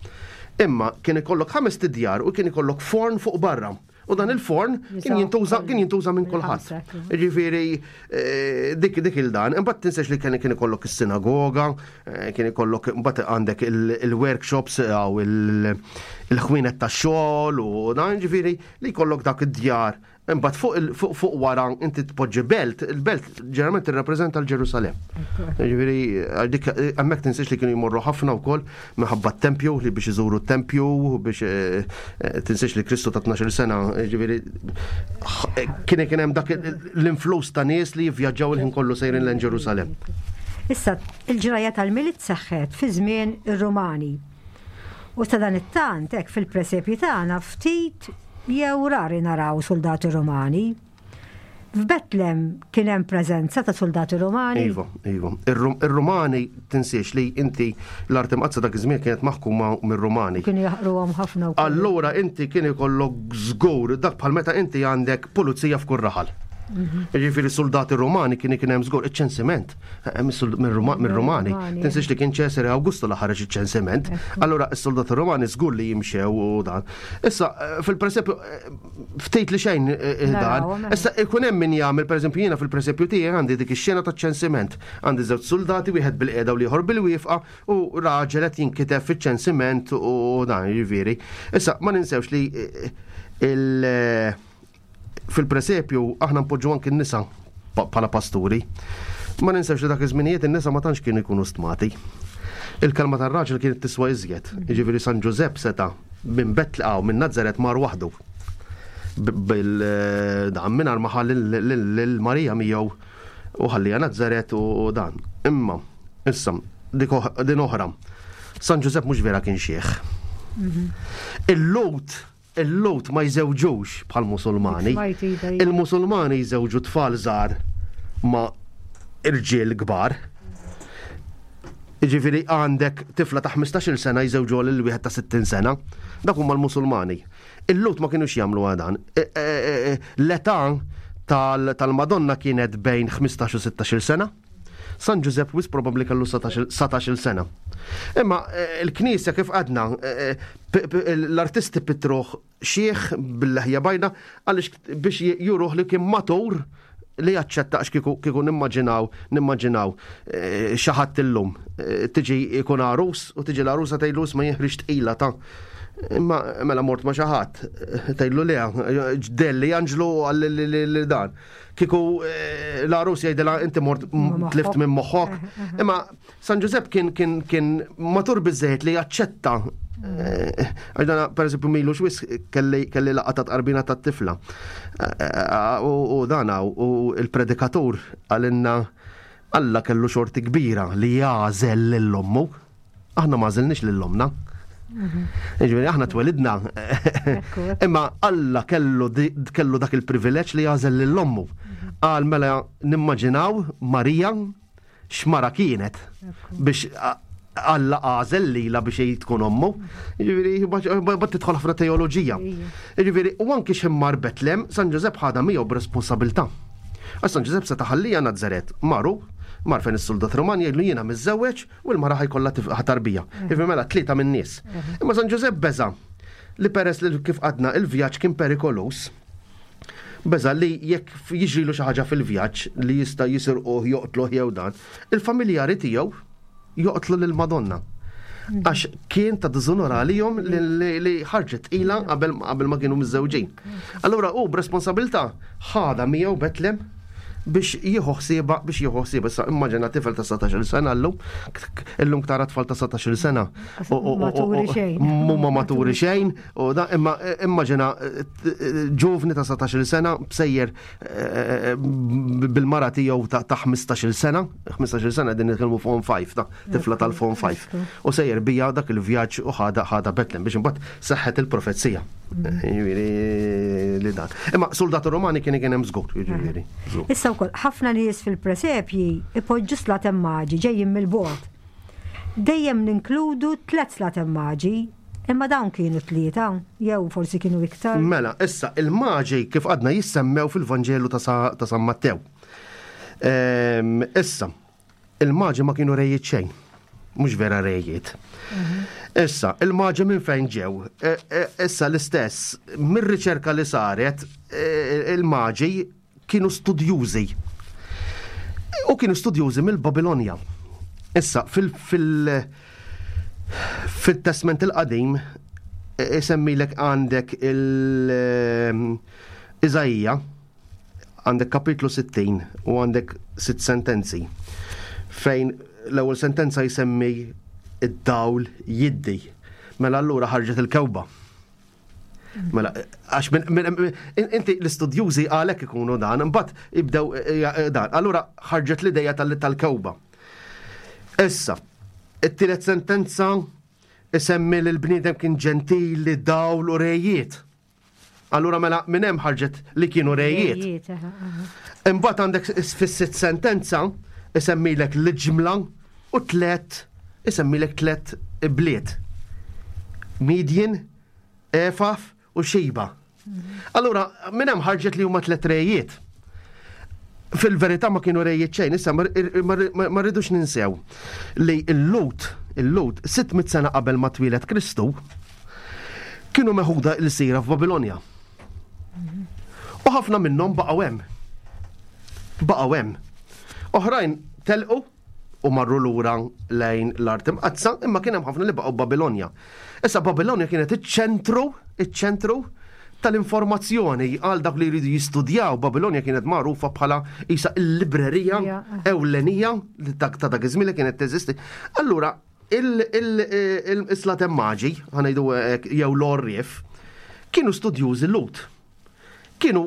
S3: Imma kien ikollok ħames tidjar u kien ikollok forn fuq barra. U dan il-forn kien jintuża kien jintuża minn kulħadd. Ġifieri eh, dik dik il-dan. Imbagħad tinsiex li kien kien ikollok is-sinagoga, eh, kien ikollok imbagħad għandek il-workshops jew il-ħwienet tax-xogħol u dan, ġifieri li jkollok dak id-djar. Imbagħad fuq fuq fuq wara inti tpoġġi belt, il-belt ġeneralment tirrappreżenta l-Ġerusalem. Ġifieri dik hemmhekk tinsiex li kienu jmorru ħafna wkoll minħabba t-tempju, li biex iżuru t-tempju, biex eh, eh, tinsiex li Kristu ta' tnax-il sena, ġifieri kien kien hemm dak l-influss ta' nies li jivvjaġġaw il-ħin kollu sejrin lejn Ġerusalem.
S2: Issa, il-ġraja tal-Milied seħħet fi żmien ir-Rumani. U ta' dan it-tant, hekk fil-presepji tagħna ftit jew rari naraw soldati Romani. F'Betlem kien hemm preżenza ta' soldati Romani.
S3: Iva, iva. Ir-Rumani tinsiex li inti l-Art Imqaddsa dak iż-żmien kienet maħkuma mir-Rumani.
S2: Kienu jaħqruhom ħafna wkoll.
S3: Allura inti kien ikollok żgur dak bħal meta inti għandek pulizija f'kull raħal.
S2: Mhm.
S3: Jiġifieri soldati Rumani kien kien hemm żgur iċ-ċensiment eh, mir-Rumani. Tinsiex li kien Ċesare Awgustu li ħareġ iċ-ċensiment. Allura s-soldati Rumani żgur li jimxew u dan. Issa eh, fil-presepju eh, ftit li xejn dan. Issa ikun hemm min jagħmel pereżempju jiena fil-presepju tiegħi għandi dik ix-xena taċ-ċensiment. Għandi żewġ soldati wieħed bil-qiegħda u l-ieħor bil-wieqfa u raġel qed jinkiteb fiċ-ċensiment u dan jiġifieri. Issa ma ninsewx li il- fil-presepju aħna npoġġu anki n-nisa bħala pasturi. Ma ninsewx li dak iż-żminijiet in-nisa ma tantx kienu jkunu stmati. Il-kelma tar-raġel kienet tiswa iżjed. Jiġifieri San Ġużepp seta' minn Betlaqaw minn Nazaret mar waħdu. Bil-dan mingħajr ma ħalli lil Marija miegħu u ħallija Nazaret u dan. Imma issa din oħra. San Ġużepp mhux vera kien xieħ. Il-Lut il-Lut ma jżewġux bħal musulmani. Il-musulmani jżewġu tfal żgħar ma' irġiel kbar. Jiġifieri għandek tifla ta' ħmistax-il sena jżewġu lil wieħed ta' sittin sena. Dak huma l-musulmani. Il-Lut ma kienux jagħmlu dan. E, e, e, l-età tal-Madonna kienet bejn ħmistax u sittax-il sena. San Ġużepp wis probabbli kellu satax-il sena. Imma il-Knisja kif għadna, l-artisti pitruh xieħ bil-leħja bajda għaliex biex juruh li kien matur li jaċċetta għax kieku, kieku nimmaġinaw, nimmaġinaw xi ħadd illum tiġi jkun għarus u tiġi l-għarusa tgħidlu ma jeħriġ tqila ta' imma mela mort ma xi ħadd tgħidlu le ġdelli Anġlu għal dan. Kieku l-għarus jgħidilha inti mort tlift minn moħħok. Imma San Ġużepp kien, kien, kien matur biżejjed li jaċċetta. Għax dana, per eżempju, milu xwis kelli, kelli laqgħa ta' tqarbina ta' tifla. U dana, u il-predikatur għalinna Alla kellu xorti kbira li jagħżel lil ommu. Aħna ma għażilniex lil ommna. Jiġifieri aħna twelidna. Imma Alla kellu kellu dak il-privileġġ li jagħżel lil ommu. Qal mela nimmaġinaw Marija x'mara kienet biex Alla għażel lilha biex hi tkun ommu. Jiġifieri bad tidħol ħafna teoloġija. Jiġifieri u anki x'immar Betlem, San Ġużepp ħadha miegħu b'responsabilità. Għax San Ġużepp seta' ħallija Nazaret, maru, mar fejn is-soldat Roman jgħidlu jiena miżżewweġ u l-mara ħajkollha tarbija. Jiġifieri mela tlieta min-nies. Imma San Ġużepp beża' li peress li kif għadna il-vjaġġ kien perikolus, beża' li jekk jiġrilu xi ħaġa fil-vjaġġ li jista' jisirquh, joqtluh jew dan, il-familjari tiegħu joqtlu lil Madonna. Għax kien ta' diżonor għalihom li ħarġet tqila qabel, qabel ma kienu miżżewġin. Allura hu b'responsabilità ħadha miegħu Betlem biex jieħu ħsiebha, biex jieħu ħsiebha. Issa immaġina tifel ta' satax-il sena llum, illum tara tfal ta' satax-il sena.
S2: Maturi xejn.
S3: Mhuma maturi xejn, u da, imma immaġina ġuvni ta' satax-il sena bsejjer bil-mara tiegħu ta' ħmistax-il sena, ħmistax-il sena din nitkellmu Form five, ta' tifla tal-Form five. U sejjer bija dak il-vjaġġ u ħada, ħada Betlem biex imbagħad seħħet il-profezija. Jiġifieri li dan. Imma soldati Romani kien kien hemm żgur, jiġifieri, żgur.
S2: Issa wkoll ħafna nies fil-presepji ipoġġu slaten maġi ġejjin mill-bogħod. Dejjem ninkludu tliet slaten maġi, imma dawn kienu tlieta, jew forsi kienu iktar.
S3: Mela, issa il-maġi kif għadna jissemmew fil-Vanġelu ta' Sa-, ta' San Mattew. Ehm, issa, il-maġi ma kienu rejiet xejn. Mhux vera rejiet. Issa, il-maġi minn fejn ġew? E, e, issa l-istess, mir-riċerka li saret, e, il-maġi kienu studjużi. U kienu studjużi mill-Babilonja. Issa, fil-, fil-, fil-Testament il-Qadim, isemmilek għandek il-Iżaija, għandek kapitlu sittin u għandek sitt sentenzi, fejn l-ewwel sentenza jsemmi id-dawl jiddi. Mela allura ħarġet il-kewba. Mela, għax minn, minn, minn, inti l-istudjużi għalhekk ikunu dan, imbagħad jibdew, eh, eh, dan. Allura ħarġet l-idea tal-, tal-kewba. Issa, it-tielet sentenza Isemmi li l-bniedem kien ġentili, dawl u rejiet. Allura mela minn hemm ħarġet li kienu rejiet. Imbagħad għandek fis-sitt sentenza isemmilek l-ġimla u tlet isemmilek tlet bliet. Midjen, Efaf u Xiba. Allura minn hemm ħarġet li huma tlet rejiet. Fil-verità ma kienu rejiet xejn, issa ma rridux ninsew li l-Lut, il-Lut, sitt mitt sena qabel ma twieled Kristu, kienu meħuda l-sira f'Babilonja. U ħafna minnhom baqgħu hemm. Baqgħu hemm. Oħrajn telqu u marru lura lejn l-art imqaddsa, imma kien hemm ħafna li baqgħu Babilonja. Issa Babilonja kienet iċ-ċentru, iċ-ċentru tal-informazzjoni għal dak li jridu jistudjaw. Babilonja kienet magħrufa bħala isa l-librerija ewlenija ta' dak iż-żmien li kienet teżisti. Allura il-Slaten Maġi, ħa ngħidu hekk, jew l-Orrif, kienu studjużi Lut. Kienu,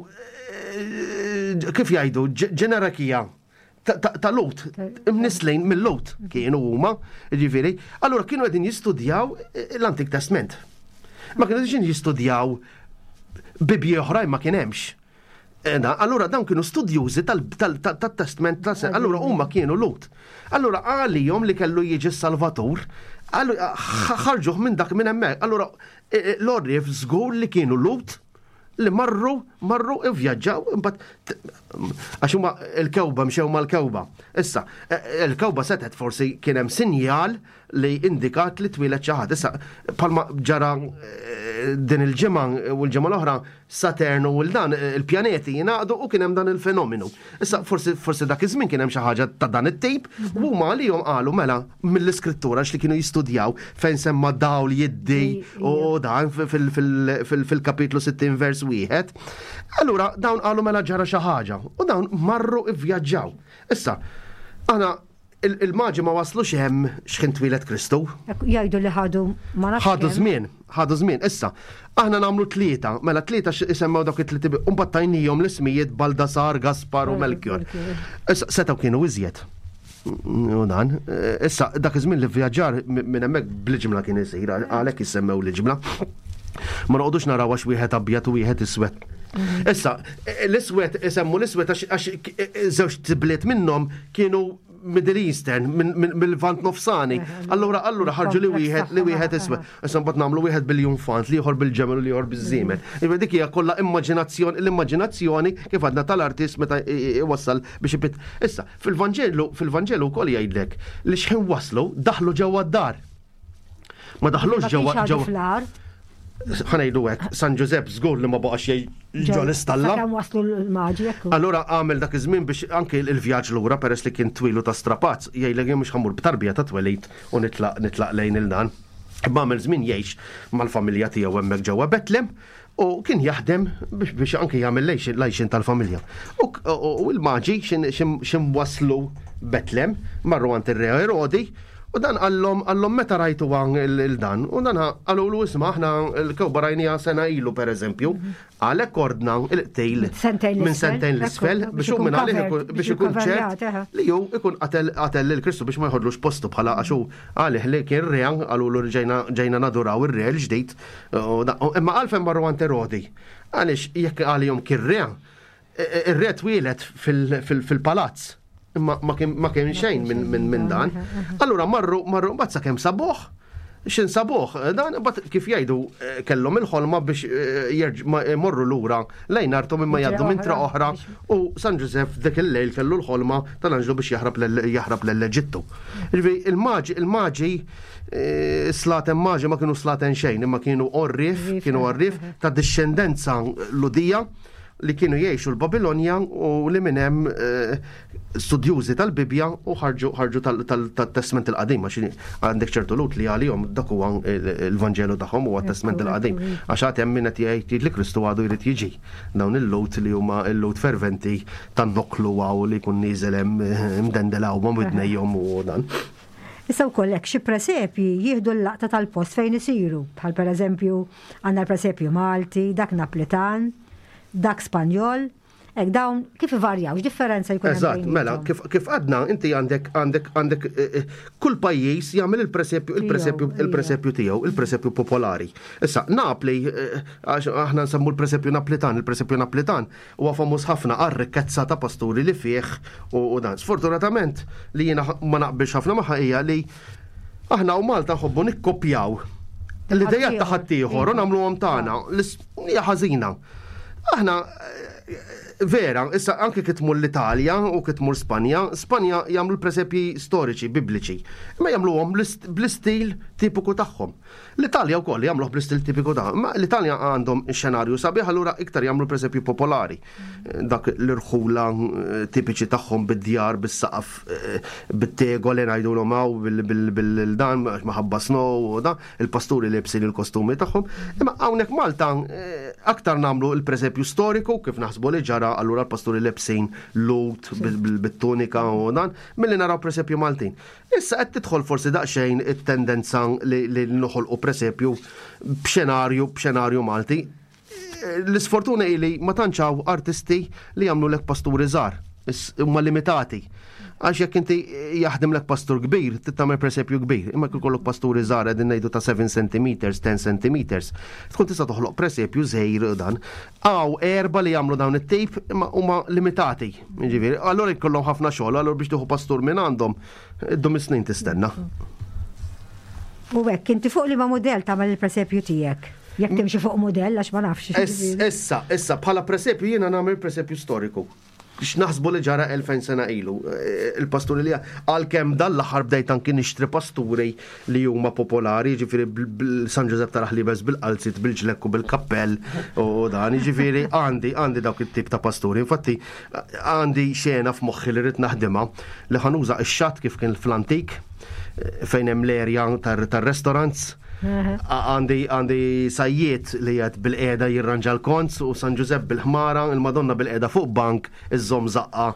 S3: kif jgħidu, ġenerakija ta' Lut, imnislejn mill-Lut kienu huma, ġifieri. Allura kienu qegħdin jistudjaw l-Antik Testament. Ma kienu qegħdin jistudjaw bibji oħrajn, ma kien hemmx. Allura dawn kienu studjużi tal-Testament, allura huma kienu Lut. Allura għalihom li kellu jiġi s-Salvatur, ħarġuh minn dak minn hemmhekk. Allura l-Orrif żgur li kienu Lut li marru, marru ivvjaġġaw, imbagħad għax huma l-kewba mxew mal-kewba. Issa, il-kewba setgħet forsi kien hemm sinjal li indikat li twieled xi ħadd. Issa, bħalma ġara din il-ġimgħa u l-ġimgħa l-oħra, Saturn u l-dan il-pjaneti jingħaqdu u kien hemm dan il-fenomenu. Issa forsi, forsi dak iż-żmien kien hemm xi ħaġa ta' dan it-tip, u huma għalihom qalu mela mill-iskrittura li kienu jistudjaw fejn semma dawl jiddi u dan fil-kapitlu sittin vers wieħed. Allura dawn qalu mela ġara xi ħaġa u dawn marru ivvjaġġaw. Issa, aħna il-maġi ma waslux hemm x'ħin twieled Kristu.
S2: Jgħidu li ħadu ma nafx
S3: Ħadu
S2: kemm.
S3: żmien, ħadu żmien. Issa, aħna nagħmlu tlieta, mela tlieta isemmew dawk it-tliet u mbagħad tajnihom l-ismijiet Baldasar, Gaspar u Melchior. Issa setgħu kienu iżjed. U dan, issa dak iż-żmien li vvjaġġar minn hemmhekk bl-ġimla kien isir, għalhekk issemmew l-ġimla. Ma noqogħdux naraw għax wieħed abjad u wieħed iswed. Issa, l-iswed isemmu l-iswed għax żewġ tibliet minnhom kienu Middle Eastern, mill-Lvant Nofsani. Allura, allura ħarġu li wieħed, li wieħed iswed. Issa mbagħad nagħmlu wieħed bil-junfant, l-ieħor bil-ġemel u l-ieħor biż-żiemel. Iva dik hija kollha immaġinazzjoni, l-immaġinazzjoni kif għadna tal-artist meta iwassal biex ipit. Issa, fil-Vanġelu, fil-Vanġelu wkoll jgħidlek li x'ħin waslu daħlu ġewwa d-dar. Ma daħlux
S2: Ma
S3: ġewwa
S2: kienx għadu
S3: ġewwa
S2: fl-ar.
S3: Ħa ngħidu hekk, San Ġużepp żgur li ma baqax jgħid ġo l-istalla.
S2: Sakemm waslu l-maġi, ekku.
S3: Allura għamel dak iż-żmien biex anke il-vjaġġ lura peress li kien twilu ta' strapazz, jgħidlek jien mhux ħammur b'tarbija ta' twelid u nitlaq, nitlaq lejn il-dan. Imma għamel żmien jgħix mal-familja tiegħu hemmhekk ġewwa Betlem u kien jaħdem biex, biex anke jagħmel lejxin tal-familja. U, u, u l-maġi xin waslu Betlem, marru għand ir-re Erodi, u dan qallhom, qallhom meta rajtu għan il-dan, u dan qalulu isma' aħna l-kewba rajnija sena ilu per eżempju, għalhekk ordna il-qtejl
S2: Sentejn
S3: minn
S2: l-isfel,
S3: sentejn l-isfel
S2: ekku,
S3: biex hu minn għalih ikun, biex ikun
S2: covered,
S3: ċert
S2: eħe.
S3: li hu ikun qatel, qatel lil Kristu biex ma jħodlux postu bħala għax hu għalih li kien re, qalulu li ġejna, ġejna naduraw ir-re l-ġdid, u da-, u imma għalfejn marru għand Erodi, għaliex jekk għalihom kien re, ir-re twieled fil-, fil-, fil-palazz. Imma ma kien, ma kien xejn minn, minn, minn dan. Allura marru, marru mbagħad sakemm sabuh, x'in sabuh, dan mbagħad kif jgħidu, eh, kellhom il-ħolma biex, eh, jerġ-, ma, eh, morru lura lejn arthom imma jgħaddu minn tra oħra u San Ġużeff dik il-lejl kellu l-ħolma tal-anġlu biex jaħrab lel-, jaħrab lell-Eġittu. Ġifieri il-maġi, il-maġi, eh, slaten maġi ma kienu slaten xejn, imma kienu orrif, kienu orrif ta' discendenza Ludija li kienu jgħixu l-Babilonja u li minn hemm, eh, studjużi tal-Bibja u ħarġu, ħarġu tal-, tal-, tat-Testament il-Qadim, għax għandek ċertu Lut li għalihom dak huwa il-, il-Vanġelu tagħhom huwa t-Testament il-Qadim. Għax għad hemm min qed jgħid li Kristu għadu jrid jiġi. Dawn il-Lut li huma il-Lut ferventi tan-noklu għaw li jkun nieżel hemm, eh, mdendel hawn ma' widnejhom u dan.
S2: Issa wkoll hekk xi presepji jieħdu l-laqta tal-post fejn isiru, bħal pereżempju għandna l-presepju Malti, dak Naplitan, dak Spanjol, Hekk dawn kif ivarjaw, x'differenza jkun hemm
S3: Eżatt, mela,
S2: bejniethom?
S3: kif, kif għadna, inti għandek għandek għandek eh, eh, kull pajjiż jagħmel il-presepju il-presepju
S2: Tiegħu,
S3: il-presepju tiegħu, il-presepju popolari. Issa, Napli, eh, għax aħna nsemmu l-presepju Naplitan, il-presepju Naplitan huwa famuż ħafna għar-rikkezza ta' pasturi li fih u, u dan. Sfortunatament li jiena ma naqbilx ħafna magħha hija li aħna u Malta nħobbu nikkopjaw l-idejat ta' ħaddieħor u nagħmluhom tagħna. L-is- Hija ħażina. Aħna eh, vera, issa anke kif tmur l-Italja u kif tmur Spanja, Spanja jagħmlu l-presepji storiċi, bibliċi, imma jagħmluhom bl-ist- bl-istil tipiku tagħhom. L-Italja wkoll jagħmluh bl-istil tipiku tagħhom. Ma l-Italja għandhom xenarju sabiħ, allura iktar jagħmlu presepju popolari. Dak l-irħula eh, tipiċi tagħhom bid-djar, bis-saqaf, eh, bit-tegoli ngħidulhom hawn bil-dan maħabba snow u dan, il-pasturi libsin il-kostumi tagħhom. Imma hawnhekk Malta eh, aktar nagħmlu il-presepju storiku kif naħsbu li ġara allura l-pasturi lebsin lut bit-tunika u dan, milli naraw presepju Maltin. Issa qed tidħol forsi daqsxejn it-tendenza li, li noħolqu presepju b'xenarju b'xenarju Malti. L-isfortuna hi li ma tantx hawn artisti li jagħmlu lek pasturi żgħar, is- huma limitati. Għax jekk inti jaħdem lek pastur kbir, tagħmel presepju kbir. Imma jekk ikollok pasturi żgħar qegħdin ngħidu ta' seba' centimeters, għaxar centimeters, tkun tista' toħloq presepju żgħir dan. Hawn erba' li jagħmlu dawn it-tip imma huma limitati. Jiġifieri, allura jkollhom ħafna xogħol, allura biex tieħu pastur minn għandhom, iddum is-snin tistenna.
S2: U hekk, inti fuq liema mudell tagħmel il-presepju tiegħek? Jekk timxi fuq mudell għax ma nafx.
S3: Issa, issa, bħala presepju jiena nagħmel presepju storiku. X'naħsbu li ġara elfejn sena ilu. Eh, Il-pasturi li għalkemm dan l-aħħar bdejt anki nixtri pasturi li huma popolari, jiġifieri San Ġużepp ta' Raħlibes bil-qalzit, bil-ġlekku, bil-kappell u dan, jiġifieri għandi għandi dawk it-tip ta' pasturi. Infatti għandi xena f'moħħi li rrid naħdimha li ħa nuża ix-xatt kif kien fl-antik eh, fejn hemm l-erja tar-restaurants. Għandi għandi sajjiet li qed bilqiegħda jirranġa l-konz u San Ġużepp bil-ħmara, il-Madonna bilqiegħda fuq bank, iżżomm żaqqa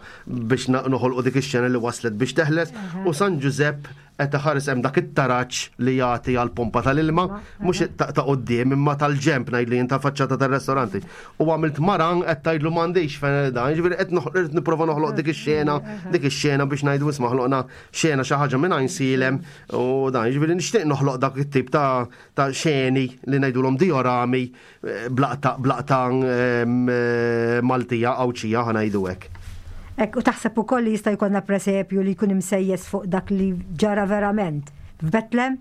S3: biex noħolqu dik ix-xena li waslet biex teħles u San Ġużepp qed iħares hemm dak it-taraġ li jagħti għal pompa tal-ilma, mhux ta' quddiem imma tal-ġemp ngħid li ta' faċċata tar-restoranti. U għamilt maran qed tgħidlu m'għandix fejn dan, jiġifieri qed noħ- nipprova noħloq dik ix-xena, dik ix-xena biex ngħidu isma' ħloqna xena xi ħaġa minn Għajnsielem u dan, jiġifieri nixtieq noħloq dak it-tip ta' ta' xeni li ngħidulhom diorami eh, blaqta blaqta ehm, eh, Maltija Għawdxija ħa ngħidu hekk.
S2: Hekk, u taħseb ukoll li jista' jkollna presepju li jkun imsejjes fuq dak li ġara verament f'Betlem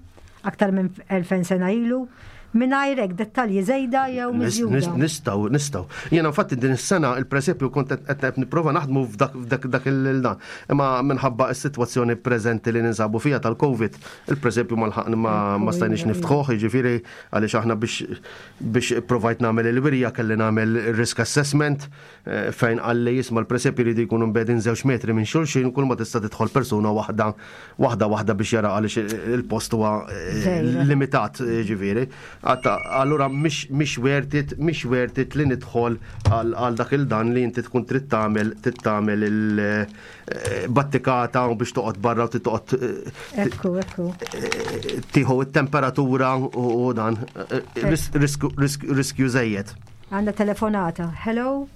S2: aktar minn elfejn sena ilu, mingħajr hekk dettalji żejda jew miżjuda.
S3: Nistgħu, nistgħu. Jiena infatti din is-sena il-presepju kont qed qed nipprova naħdmu f'dak f'dak dak il-dan. Imma minħabba s-sitwazzjoni preżenti li ninsabu fiha tal-Covid, il-presepju ma lħaqna ma ma stajniex niftħuh, jiġifieri għaliex aħna biex biex provajt nagħmel il-wirja kelli nagħmel risk assessment eh, fejn qalli jisma' l-presepju jridu jkunu mbegħdin żewġ metri minn xulxin kull ma tista' tidħol persuna waħda waħda waħda biex jara għaliex il-post huwa eh,
S2: Żgħira.
S3: limitat ġifieri. Għatta, allura mhix mhix worth it, mhix worth it li nidħol għal għal dak il-dan li inti tkun trid tagħmel trid tagħmel il-battikata u biex toqgħod barra u trid toqgħod eh,
S2: Ekku, ekku.
S3: eh, tieħu it-temperatura u u dan eh, ris- riskju risk- riskju żejjed.
S2: Għandna telefonata. Hello?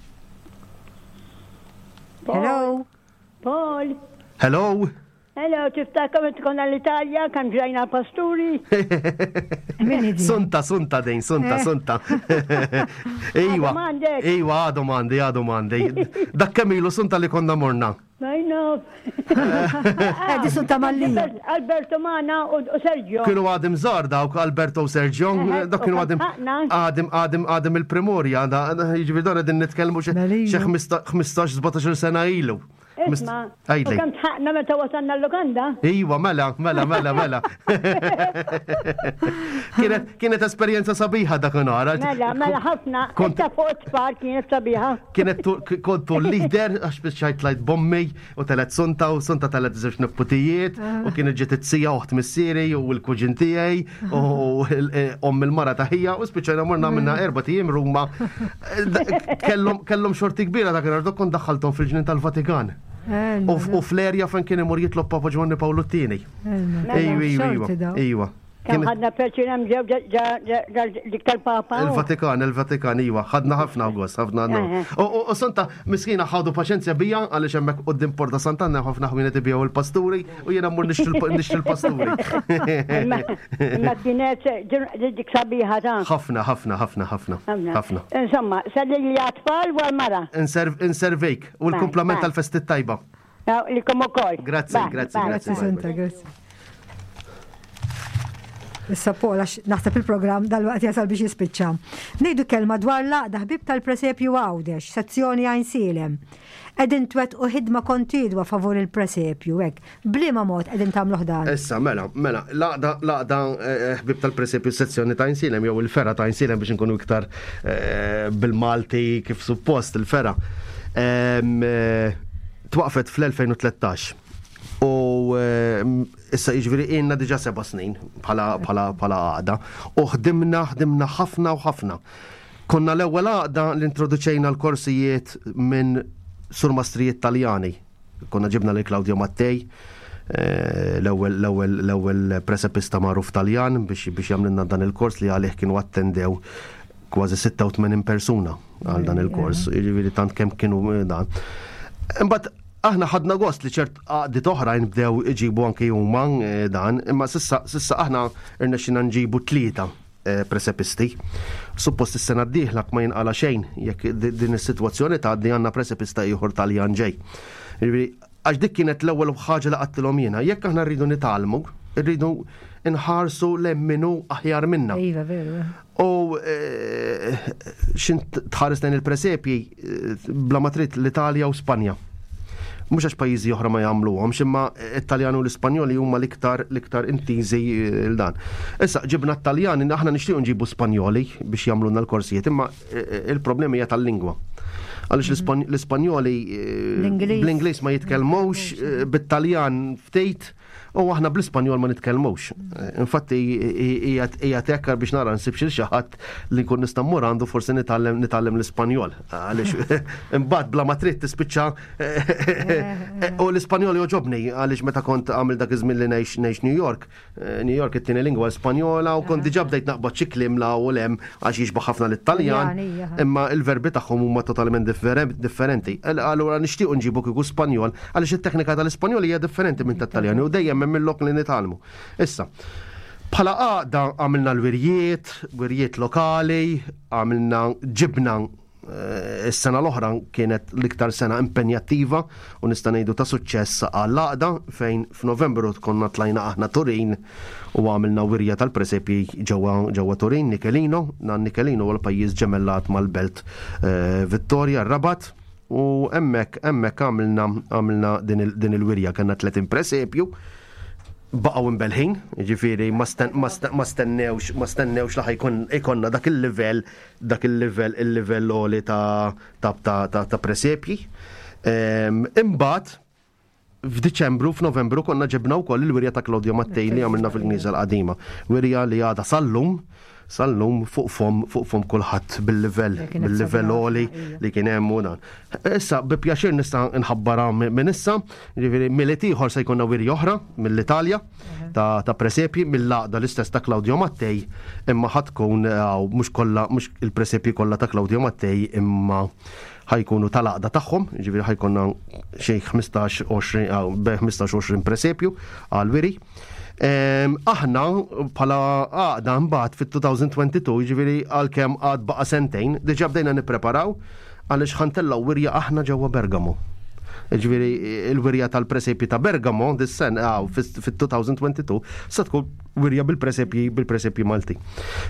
S2: Hello?
S5: Paul,
S3: Hello?
S5: hello, tiftakar meta konna l-Italja, kan ġrajna pasturi.
S2: Min hi din?
S3: Sunta, sunta dejn, sunta,
S2: Eh.
S3: sunta. Iwa,
S5: Għadhom għandek.
S3: iwa, għadhom għandi, għadhom għandi. Dak kemm ilu sunta li konna morna.
S5: I know.
S2: Eh, di sunta Mallija.
S5: Alberto Mana u u Sergio.
S3: Kienu għadhom żgħar dawk Alberto u Sergio,
S5: Eħe,
S3: dak kienu
S5: u
S3: għadhom
S5: ħaqna.
S3: għadhom għadhom għadhom il-primorja, da- jiġifieri dan qegħdin nitkellmu xi
S2: Mela ilu.
S3: xi ħmistax sbatax-il sena ilu.
S5: Isma, u
S3: Għidli.
S5: kemm tħaqna meta wasalna l-lukanda?
S3: Iwa, mela, mela, mela, mela. Kienet kienet esperjenza sabiħa dakinhar.
S5: Mela, mela ħafna,
S3: Kont-
S5: inta fuq it-tfal kienet sabiħa.
S3: Kienet tu- kontu l-leader, għax biex ċajt lajt bommi u telet sunta u sunta telet żewġ neputijiet u kienet ġiet it-sija uħt missieri u l-kuġin tiegħi u l- omm il-mara taħija u spiċċajna morna minna erba' tijiem Ruma. Kellhom kellhom xorti kbira dakinhar dok kont daħħalthom fil-ġnien tal-Vatikan.
S2: Eh,
S3: U f- U fl-erja fejn kien imur jitlob Papa Ġwanni Pawlu t-tieni.
S2: Mela,
S3: Ejwa, ejwa,
S2: xorti daw.
S3: ejwa.
S5: Kemm ħadna pjaċir hemm ġew dik tal-Papa.
S3: Il-Vatikan, il-Vatikan, iwa, ħadna ħafna gost, ħafna U Santa, miskina ħadu paċenzja bija, għaliex hemmhekk quddiem Porta Sant'Anna ħafna ħwienet ibigħu il-pasturi u jiena mmur nixtri l-pasturi.
S5: Imma kienet dik sabiħa ta'.
S3: Ħafna, ħafna, ħafna, ħafna. Ħafna.
S5: Insomma, sellili għat-tfal u għal-mara.
S3: Inservejk u l-kumplament tal-festi tajba.
S5: Lilkom ukoll.
S3: Grazzi, grazzi, grazzi.
S2: Santa, grazzi. Issa Paul, għax naħseb il-programm dal-waqt jasal biex jispiċċa. Ngħidu kelma dwar l-Għaqda Ħbieb tal-Presepju Għawdex, sezzjoni Għajnsielem. Qegħdin twettqu ħidma kontinwa favur il-presepju, hekk. B'liema mod qegħdin tagħmluh dan?
S3: Issa, mela, mela, l-Għaqda, l-Għaqda Ħbieb tal-Presepju sezzjoni ta' Għajnsielem, jew il-fergħa ta' Għajnsielem biex nkunu iktar bil-Malti kif suppost il-fergħa. Twaqfet fl-elfejn u tlettax. U issa jiġifieri ilna diġà seba' snin bħala, bħala, bħala għaqda. U ħdimna, ħdimna ħafna u ħafna. Konna l-ewwel għaqda li introduċejna l-korsijiet minn surmastrijiet Taljani. Konna ġibna lil Claudio Mattei, l-ewwel, l-ewwel, l-ewwel presepista magħruf Taljan biex, biex jagħmlilna dan il-kors li għalih kienu attendew kważi sitta u tmenin persuna għal dan il-kors. Jiġifieri tant kemm kienu dan. Imbagħad aħna ħadna gost li ċert għaqdiet oħrajn bdew iġibu anke huma dan, imma sissa, sissa aħna rnexxina nġibu tlieta presepisti. Suppost is-sena d-dieħla ma jinqala xejn jekk di-, din is-sitwazzjoni tgħaddi għandna presepista ieħor Taljan ġej. Jiġifieri, għax dik kienet l-ewwel ħaġa li qattilhom jiena, jekk aħna rridu nitgħallmu, rridu nħarsu lemminu aħjar minna.
S2: Iva, veru.
S3: U, eh, xin tħares lejn il-presepji, eh, bla ma trid l-Italja u Spanja. Mhux għax pajjiżi oħra ma jagħmluhomx, imma it-Taljan u l-Ispanjoli huma l-iktar, l-iktar intiżi l dan. Issa ġibna t-Taljan, aħna nixtiequ nġibu Spanjoli biex jagħmlulna l-korsijiet, imma il-problemi hija tal-lingwa. Għaliex l-Ispan-, l-Ispanjoli, eh,
S2: L-Ingliż.
S3: bl-Ingliż ma jitkellmux, eh, bit-Taljan ftit, u aħna bl-Ispanjol ma nitkellmux. Infatti, hija, hija tekkar biex nara nsib xi ħadd li nkun nista' mmur għandu forsi nitgħallem, nitgħallem l-Ispanjol. Għaliex imbagħad bla ma trid tispiċċa, u l-Ispanjol joġobni għaliex meta kont għamil dak iż-żmien li ngħix, ngħix New York, New York it-tieni lingwa Spanjola u kont diġà bdejt naqbad xi kliem la u lem għax jixbaħ ħafna lit-Taljan, imma il-verbi tagħhom huma totalment differen-, differenti. Allura nixtiequ nġibu kieku Spanjol għaliex it-teknika tal-Ispanjol hija differenti minn tat-Taljan u dejjem hemm il-lok li nitgħallmu. Issa, bħala għaqda għamilna l-wirjiet, wirjiet lokali, għamilna ġibna, eh, is-sena l-oħra kienet l-iktar sena impenjattiva u nista' ngħidu ta' suċċess għall-għaqda fejn f'Novembru konna tlajna aħna Turin u għamilna wirja tal-presepji ġewwa, ġewwa Turin, Nichelino. Dan Nichelino huwa l-pajjiż ġemellat mal-belt, eh, Vittoria, Rabat. U hemmhekk, hemmhekk għamilna, għamilna din il-, din il-wirja, kellna tletin presepju. Baqgħu imbelħin, jiġifieri ma sten-, ma sten-, ma stennewx, ma stennewx li ħajkun ikonna dak il-livell, dak il-livell, il-livell għoli ta', ta', ta', ta', ta' presepji. Ehm, imbagħad f'Diċembru, f'Novembru konna ġibna wkoll il-wirja ta' Claudio Mattei li għamilna fil-Knisja l-Qadima. Wirja li għadha sal-lum, sal-lum fuq fom, fuq fom kulħadd bil-livell,
S2: Li kienet
S3: bil-livell
S2: sabiħa,
S3: għoli
S2: ija.
S3: li kien hemm u dan. Issa bi pjaċir nista' nħabbarha mi-, minn issa, jiġifieri Milied ieħor se jkollna wirja oħra mill-Italja ta', ta' presepji mill-għaqda l-istess ta' Claudio Mattei, imma ħa tkun, eh, mhux kollha, mhux il-presepji kollha ta' Claudio Mattei, imma ħajkunu tal-għaqda tagħhom, jiġifieri ħajkonna xi ħmistax, għoxrin, aw, bejn ħmistax u għoxrin presepju għal-wiri. Em, aħna bħala għaqda mbagħad fit-two thousand twenty-two, jiġifieri għalkemm għad baqa' sentejn, diġà bdejna nippreparaw għaliex ħantellgħu wirja aħna ġewwa Bergamo. Jiġifieri il-wirja tal-presepji ta' Bergamo dis-sen, aw, fit-two thousand twenty-two se tkun wirja bil-presepji, bil-presepji Malti.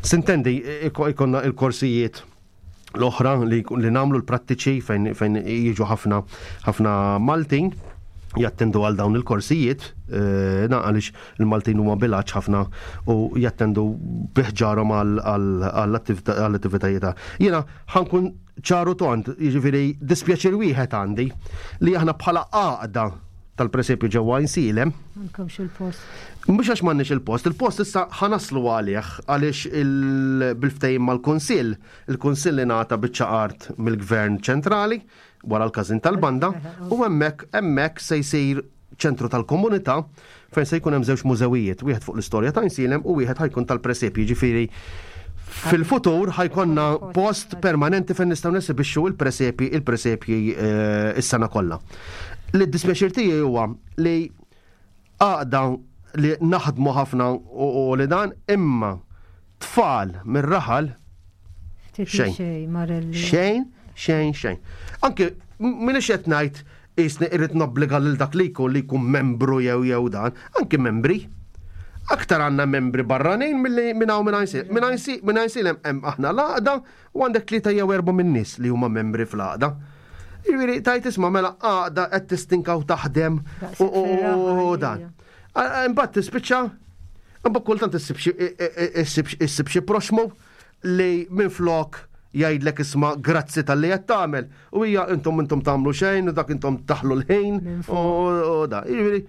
S3: Sintendi, iko-, ikonna il-korsijiet l-oħra li, li namlu l-prattiċi fejn, fejn jiġu ħafna, ħafna Maltin jattendu għal dawn il-korsijiet, eh, na għaliex il-Maltin huma bilaċ ħafna u jattendu biħġarhom għal, għal, għall-attività, għall-attivitajiet. Jiena ħankun ċaru tont, jiġifieri dispjaċir wieħed għandi li aħna bħala għaqda tal-presepju ġewwa Għajnsielem.
S2: M'għandkomx il-post.
S3: Mhux għax m'għandniex il-post, il-post issa ħanaslu għalih għaliex il-, bil-ftehim mal-Kunsill, il-Kunsill ingħata biċċa art mill-Gvern ċentrali wara l-każin tal-banda u hemmhekk, hemmhekk se jsir ċentru tal-komunità fejn se jkun hemm żewġ mużewijiet, wieħed fuq l-istorja ta' Għajnsielem u wieħed ħa jkun tal-presepji, ġifieri fil-futur ħa jkollna post permanenti fejn nistgħu nesibixxu il-presepi il-presepji eh, is-sena kollha. Li d-dispjaċir tiegħi huwa li għaqda li naħdmu ħafna u u li dan, imma tfal mir-raħal
S2: Ftit
S3: xejn.
S2: Xejn, Marelli.
S3: Xejn, xejn, xejn. Anke minix qed ngħid isni irrid nobbliga lil dak li jkun li jkun membru jew jew dan, anke membri. Aktar għandna membri barranin milli minn hawn minn Għajnsielem. Minn Għajnsi- minn Għajnsielem hemm aħna l-għaqda u għandek tlieta jew erba' minn nies li huma membri fl-għaqda. Jiġifieri tajt isma' mela għaqda qed tistinkaw taħdem u u- u- u dan. Imbagħad tispiċċa, imbagħad kultant issib xi issib xi proxmu li minn flok jgħidlek isma' grazzi tal-li qed tagħmel u hija intom intom tagħmlu xejn u dak intom taħlu l-ħin u u da. Jiġifieri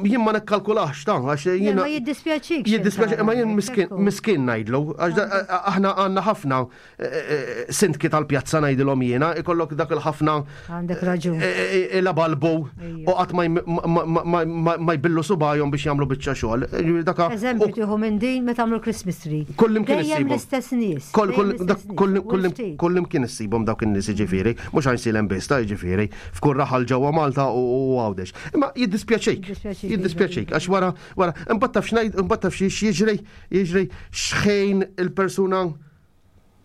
S3: jien ma nikkalkulax ta' għax
S2: Le,
S3: jiena
S2: ma jiddispjaċik.
S3: Jiddispjaċi, ma jien miskin, miskin ngħidlu, għax da- aħna għandna ħafna eh, eh, sindki tal-pjazza ngħidilhom jiena, ikollok dak il-ħafna
S2: Għandek raġun.
S3: eh, la balbu
S2: Ejja.
S3: u qatt ma jm- ma- ma- ma- ma- ma jbillu subajhom biex jagħmlu biċċa xogħol. Ġifieri Daka
S2: Eżempju tieħu minn din meta għamlu Christmas tree.
S3: Kullimkien
S2: Dejjem
S3: issibhom.
S2: l-istess nies.
S3: Kull
S2: dejjem
S3: kull
S2: l-istess
S3: dak
S2: nies.
S3: kull
S2: U
S3: kull
S2: ftit.
S3: kullimkien issibhom dawk in-nies jiġifieri, mhux Għajnsielem biss ta' jiġifieri, f'kull raħal ġewwa Malta u u Għawdex. Imma jiddispjaċik.
S2: Jiddispjaċik,
S3: Jiddispjaċik għax wara wara imbagħad taf x'ngħid, imbagħad taf xi jiġri, jiġri x'ħin il-persuna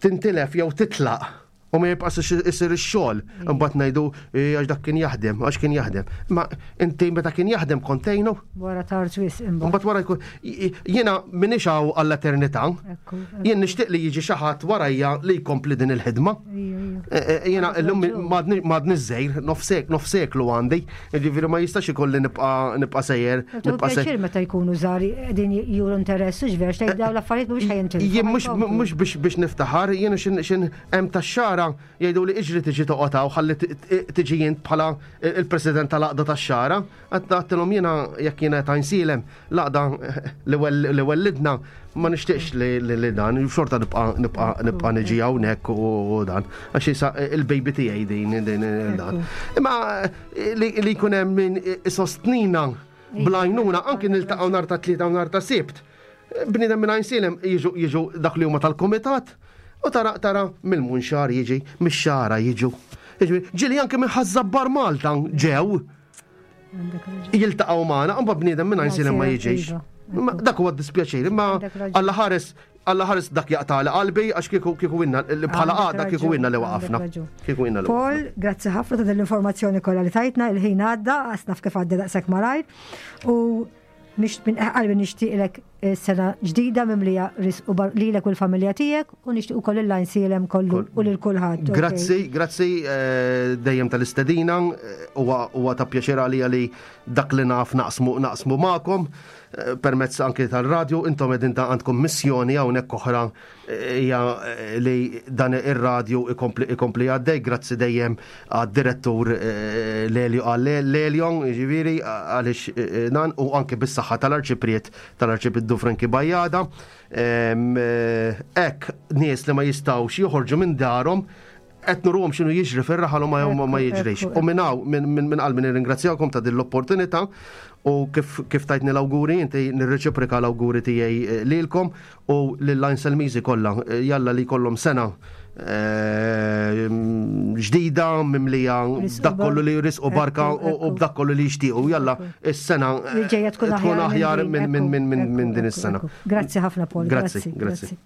S3: tintilef jew titlaq u ma jibqax isir ix-xogħol. Imbagħad ngħidu "Eh, għax dak kien jaħdem, għax kien jaħdem. Ma inti meta kien jaħdem kontejnu,
S2: Wara tard wisq imbagħad.
S3: Mbagħad wara jkun jiena m'iniex hawn għall-eternità.
S2: Ekku.
S3: Jien nixtieq li jiġi xi ħadd warajja li jkompli din il-ħidma.
S2: Ija, ija.
S3: Eh, eh, Jiena llum m'għadni żgħir, nofsek, nofseklu għandi, jiġifieri ma jistax ikolli nibqa' nibqa' sejjer,
S2: Tieħu
S3: nibqa' sejjer.
S2: pjaċir meta jkunu żgħar qegħdin juru interess u x'ver xejn dawn l-affarijiet mhux ħajintilfu.
S3: Jien mhux mhux biex biex niftaħar, jiena xin xin hemm tax-xara jgħidu li iġri tiġi toqgħod hawn ħalli t- t- tiġi jint bħala il-president tal-għaqda tax-xara. Għedtilhom jiena jekk jiena ta' Għajnsielem l-għaqda li wel- li wellidna ma nixtieqx li li li dan, xorta nibqa' nibqa' nibqa' niġi hawnhekk u dan. Għax issa il-baby tiegħi din din dan. Imma li li jkun hemm min isostnina bl-għajnuna anki niltaqgħu nhar ta' Tlieta u nhar ta' Sibt. Bniedem minn Għajnsielem jiġu jiġu dak li huma tal-komitat u tara tara mill-Munxar jiġi, mix-Xagħra jiġu. Jiġifieri, Ġieli anke minn Ħaż-Żabbar Malta ġew
S2: Għandek raġun.
S3: jiltaqgħu magħna, imma bniedem minn Għajnsielem ma jiġix.
S2: Iva,
S3: Ma Dak huwa dispjaċir, imma
S2: Għandek raġun.
S3: Alla ħares Alla ħares dak jaqtali qalbi għax kieku kieku inna bħala
S2: Għandek
S3: għaqda kieku
S2: raġun,
S3: inna li
S2: għandek
S3: waqafna.
S2: raġun.
S3: Kieku inna li
S2: Paul, grazzi ħafna ta' dell-informazzjoni kollha li tajtna, il-ħin għadda, għasnaf kif għadda daqshekk malajr. U nix- minn qalbi nixtieqlek eh, sena ġdida mimlija risq u bar- lilek u l-familja tiegħek u nixtieq ukoll il-Għajnsielem kollu u lil kulħadd. ok?
S3: Grazzi, grazzi eh, dejjem tal-istedina, eh, huwa huwa ta' pjaċir għalija li dak li naf naqsmu naqsmu magħkom eh, permezz anke tal-radju, intom qegħdin ta' għandkom missjoni hawnhekk oħra eh, hija eh, li dan ir-radju ikompli ikompli għaddej, grazzi dejjem għad-direttur eh, Lelio għal Lelion, jiġifieri għaliex eh, dan u anke bis-saħħa tal-arċipriet tal-arċipriet Franki Bajada. Em, eh, Hekk nies li ma jistgħux joħorġu minn darhom qed nuruhom x'inhu jiġri fir-raħal u ma ma- ma
S2: Ekku,
S3: jiġrix.
S2: ekku,
S3: U minn hawn minn minn minn qalbi nirringrazzjakom ta' din l-opportunità u kif kif tajtni l-awguri inti nirreċiproka l-awguri tiegħi eh, lilkom u lill-Għajnselmiżi kollha. Eh, Jalla li jkollhom sena eh, ġdida mimlija
S2: Risq u
S3: dak kollu li risq u barka
S2: Ekku,
S3: u u
S2: ekku.
S3: b'dak kollu li jixtiequ. Jalla is-sena
S2: Li ġejja tkun
S3: tkun aħjar
S2: din,
S3: minn minn
S2: ekku,
S3: minn minn
S2: ekku,
S3: minn din
S2: ekku,
S3: is-sena.
S2: ekku. Grazzi ħafna Paul.
S3: Grazzi,
S2: Grazzi,
S3: grazzi.
S2: grazzi.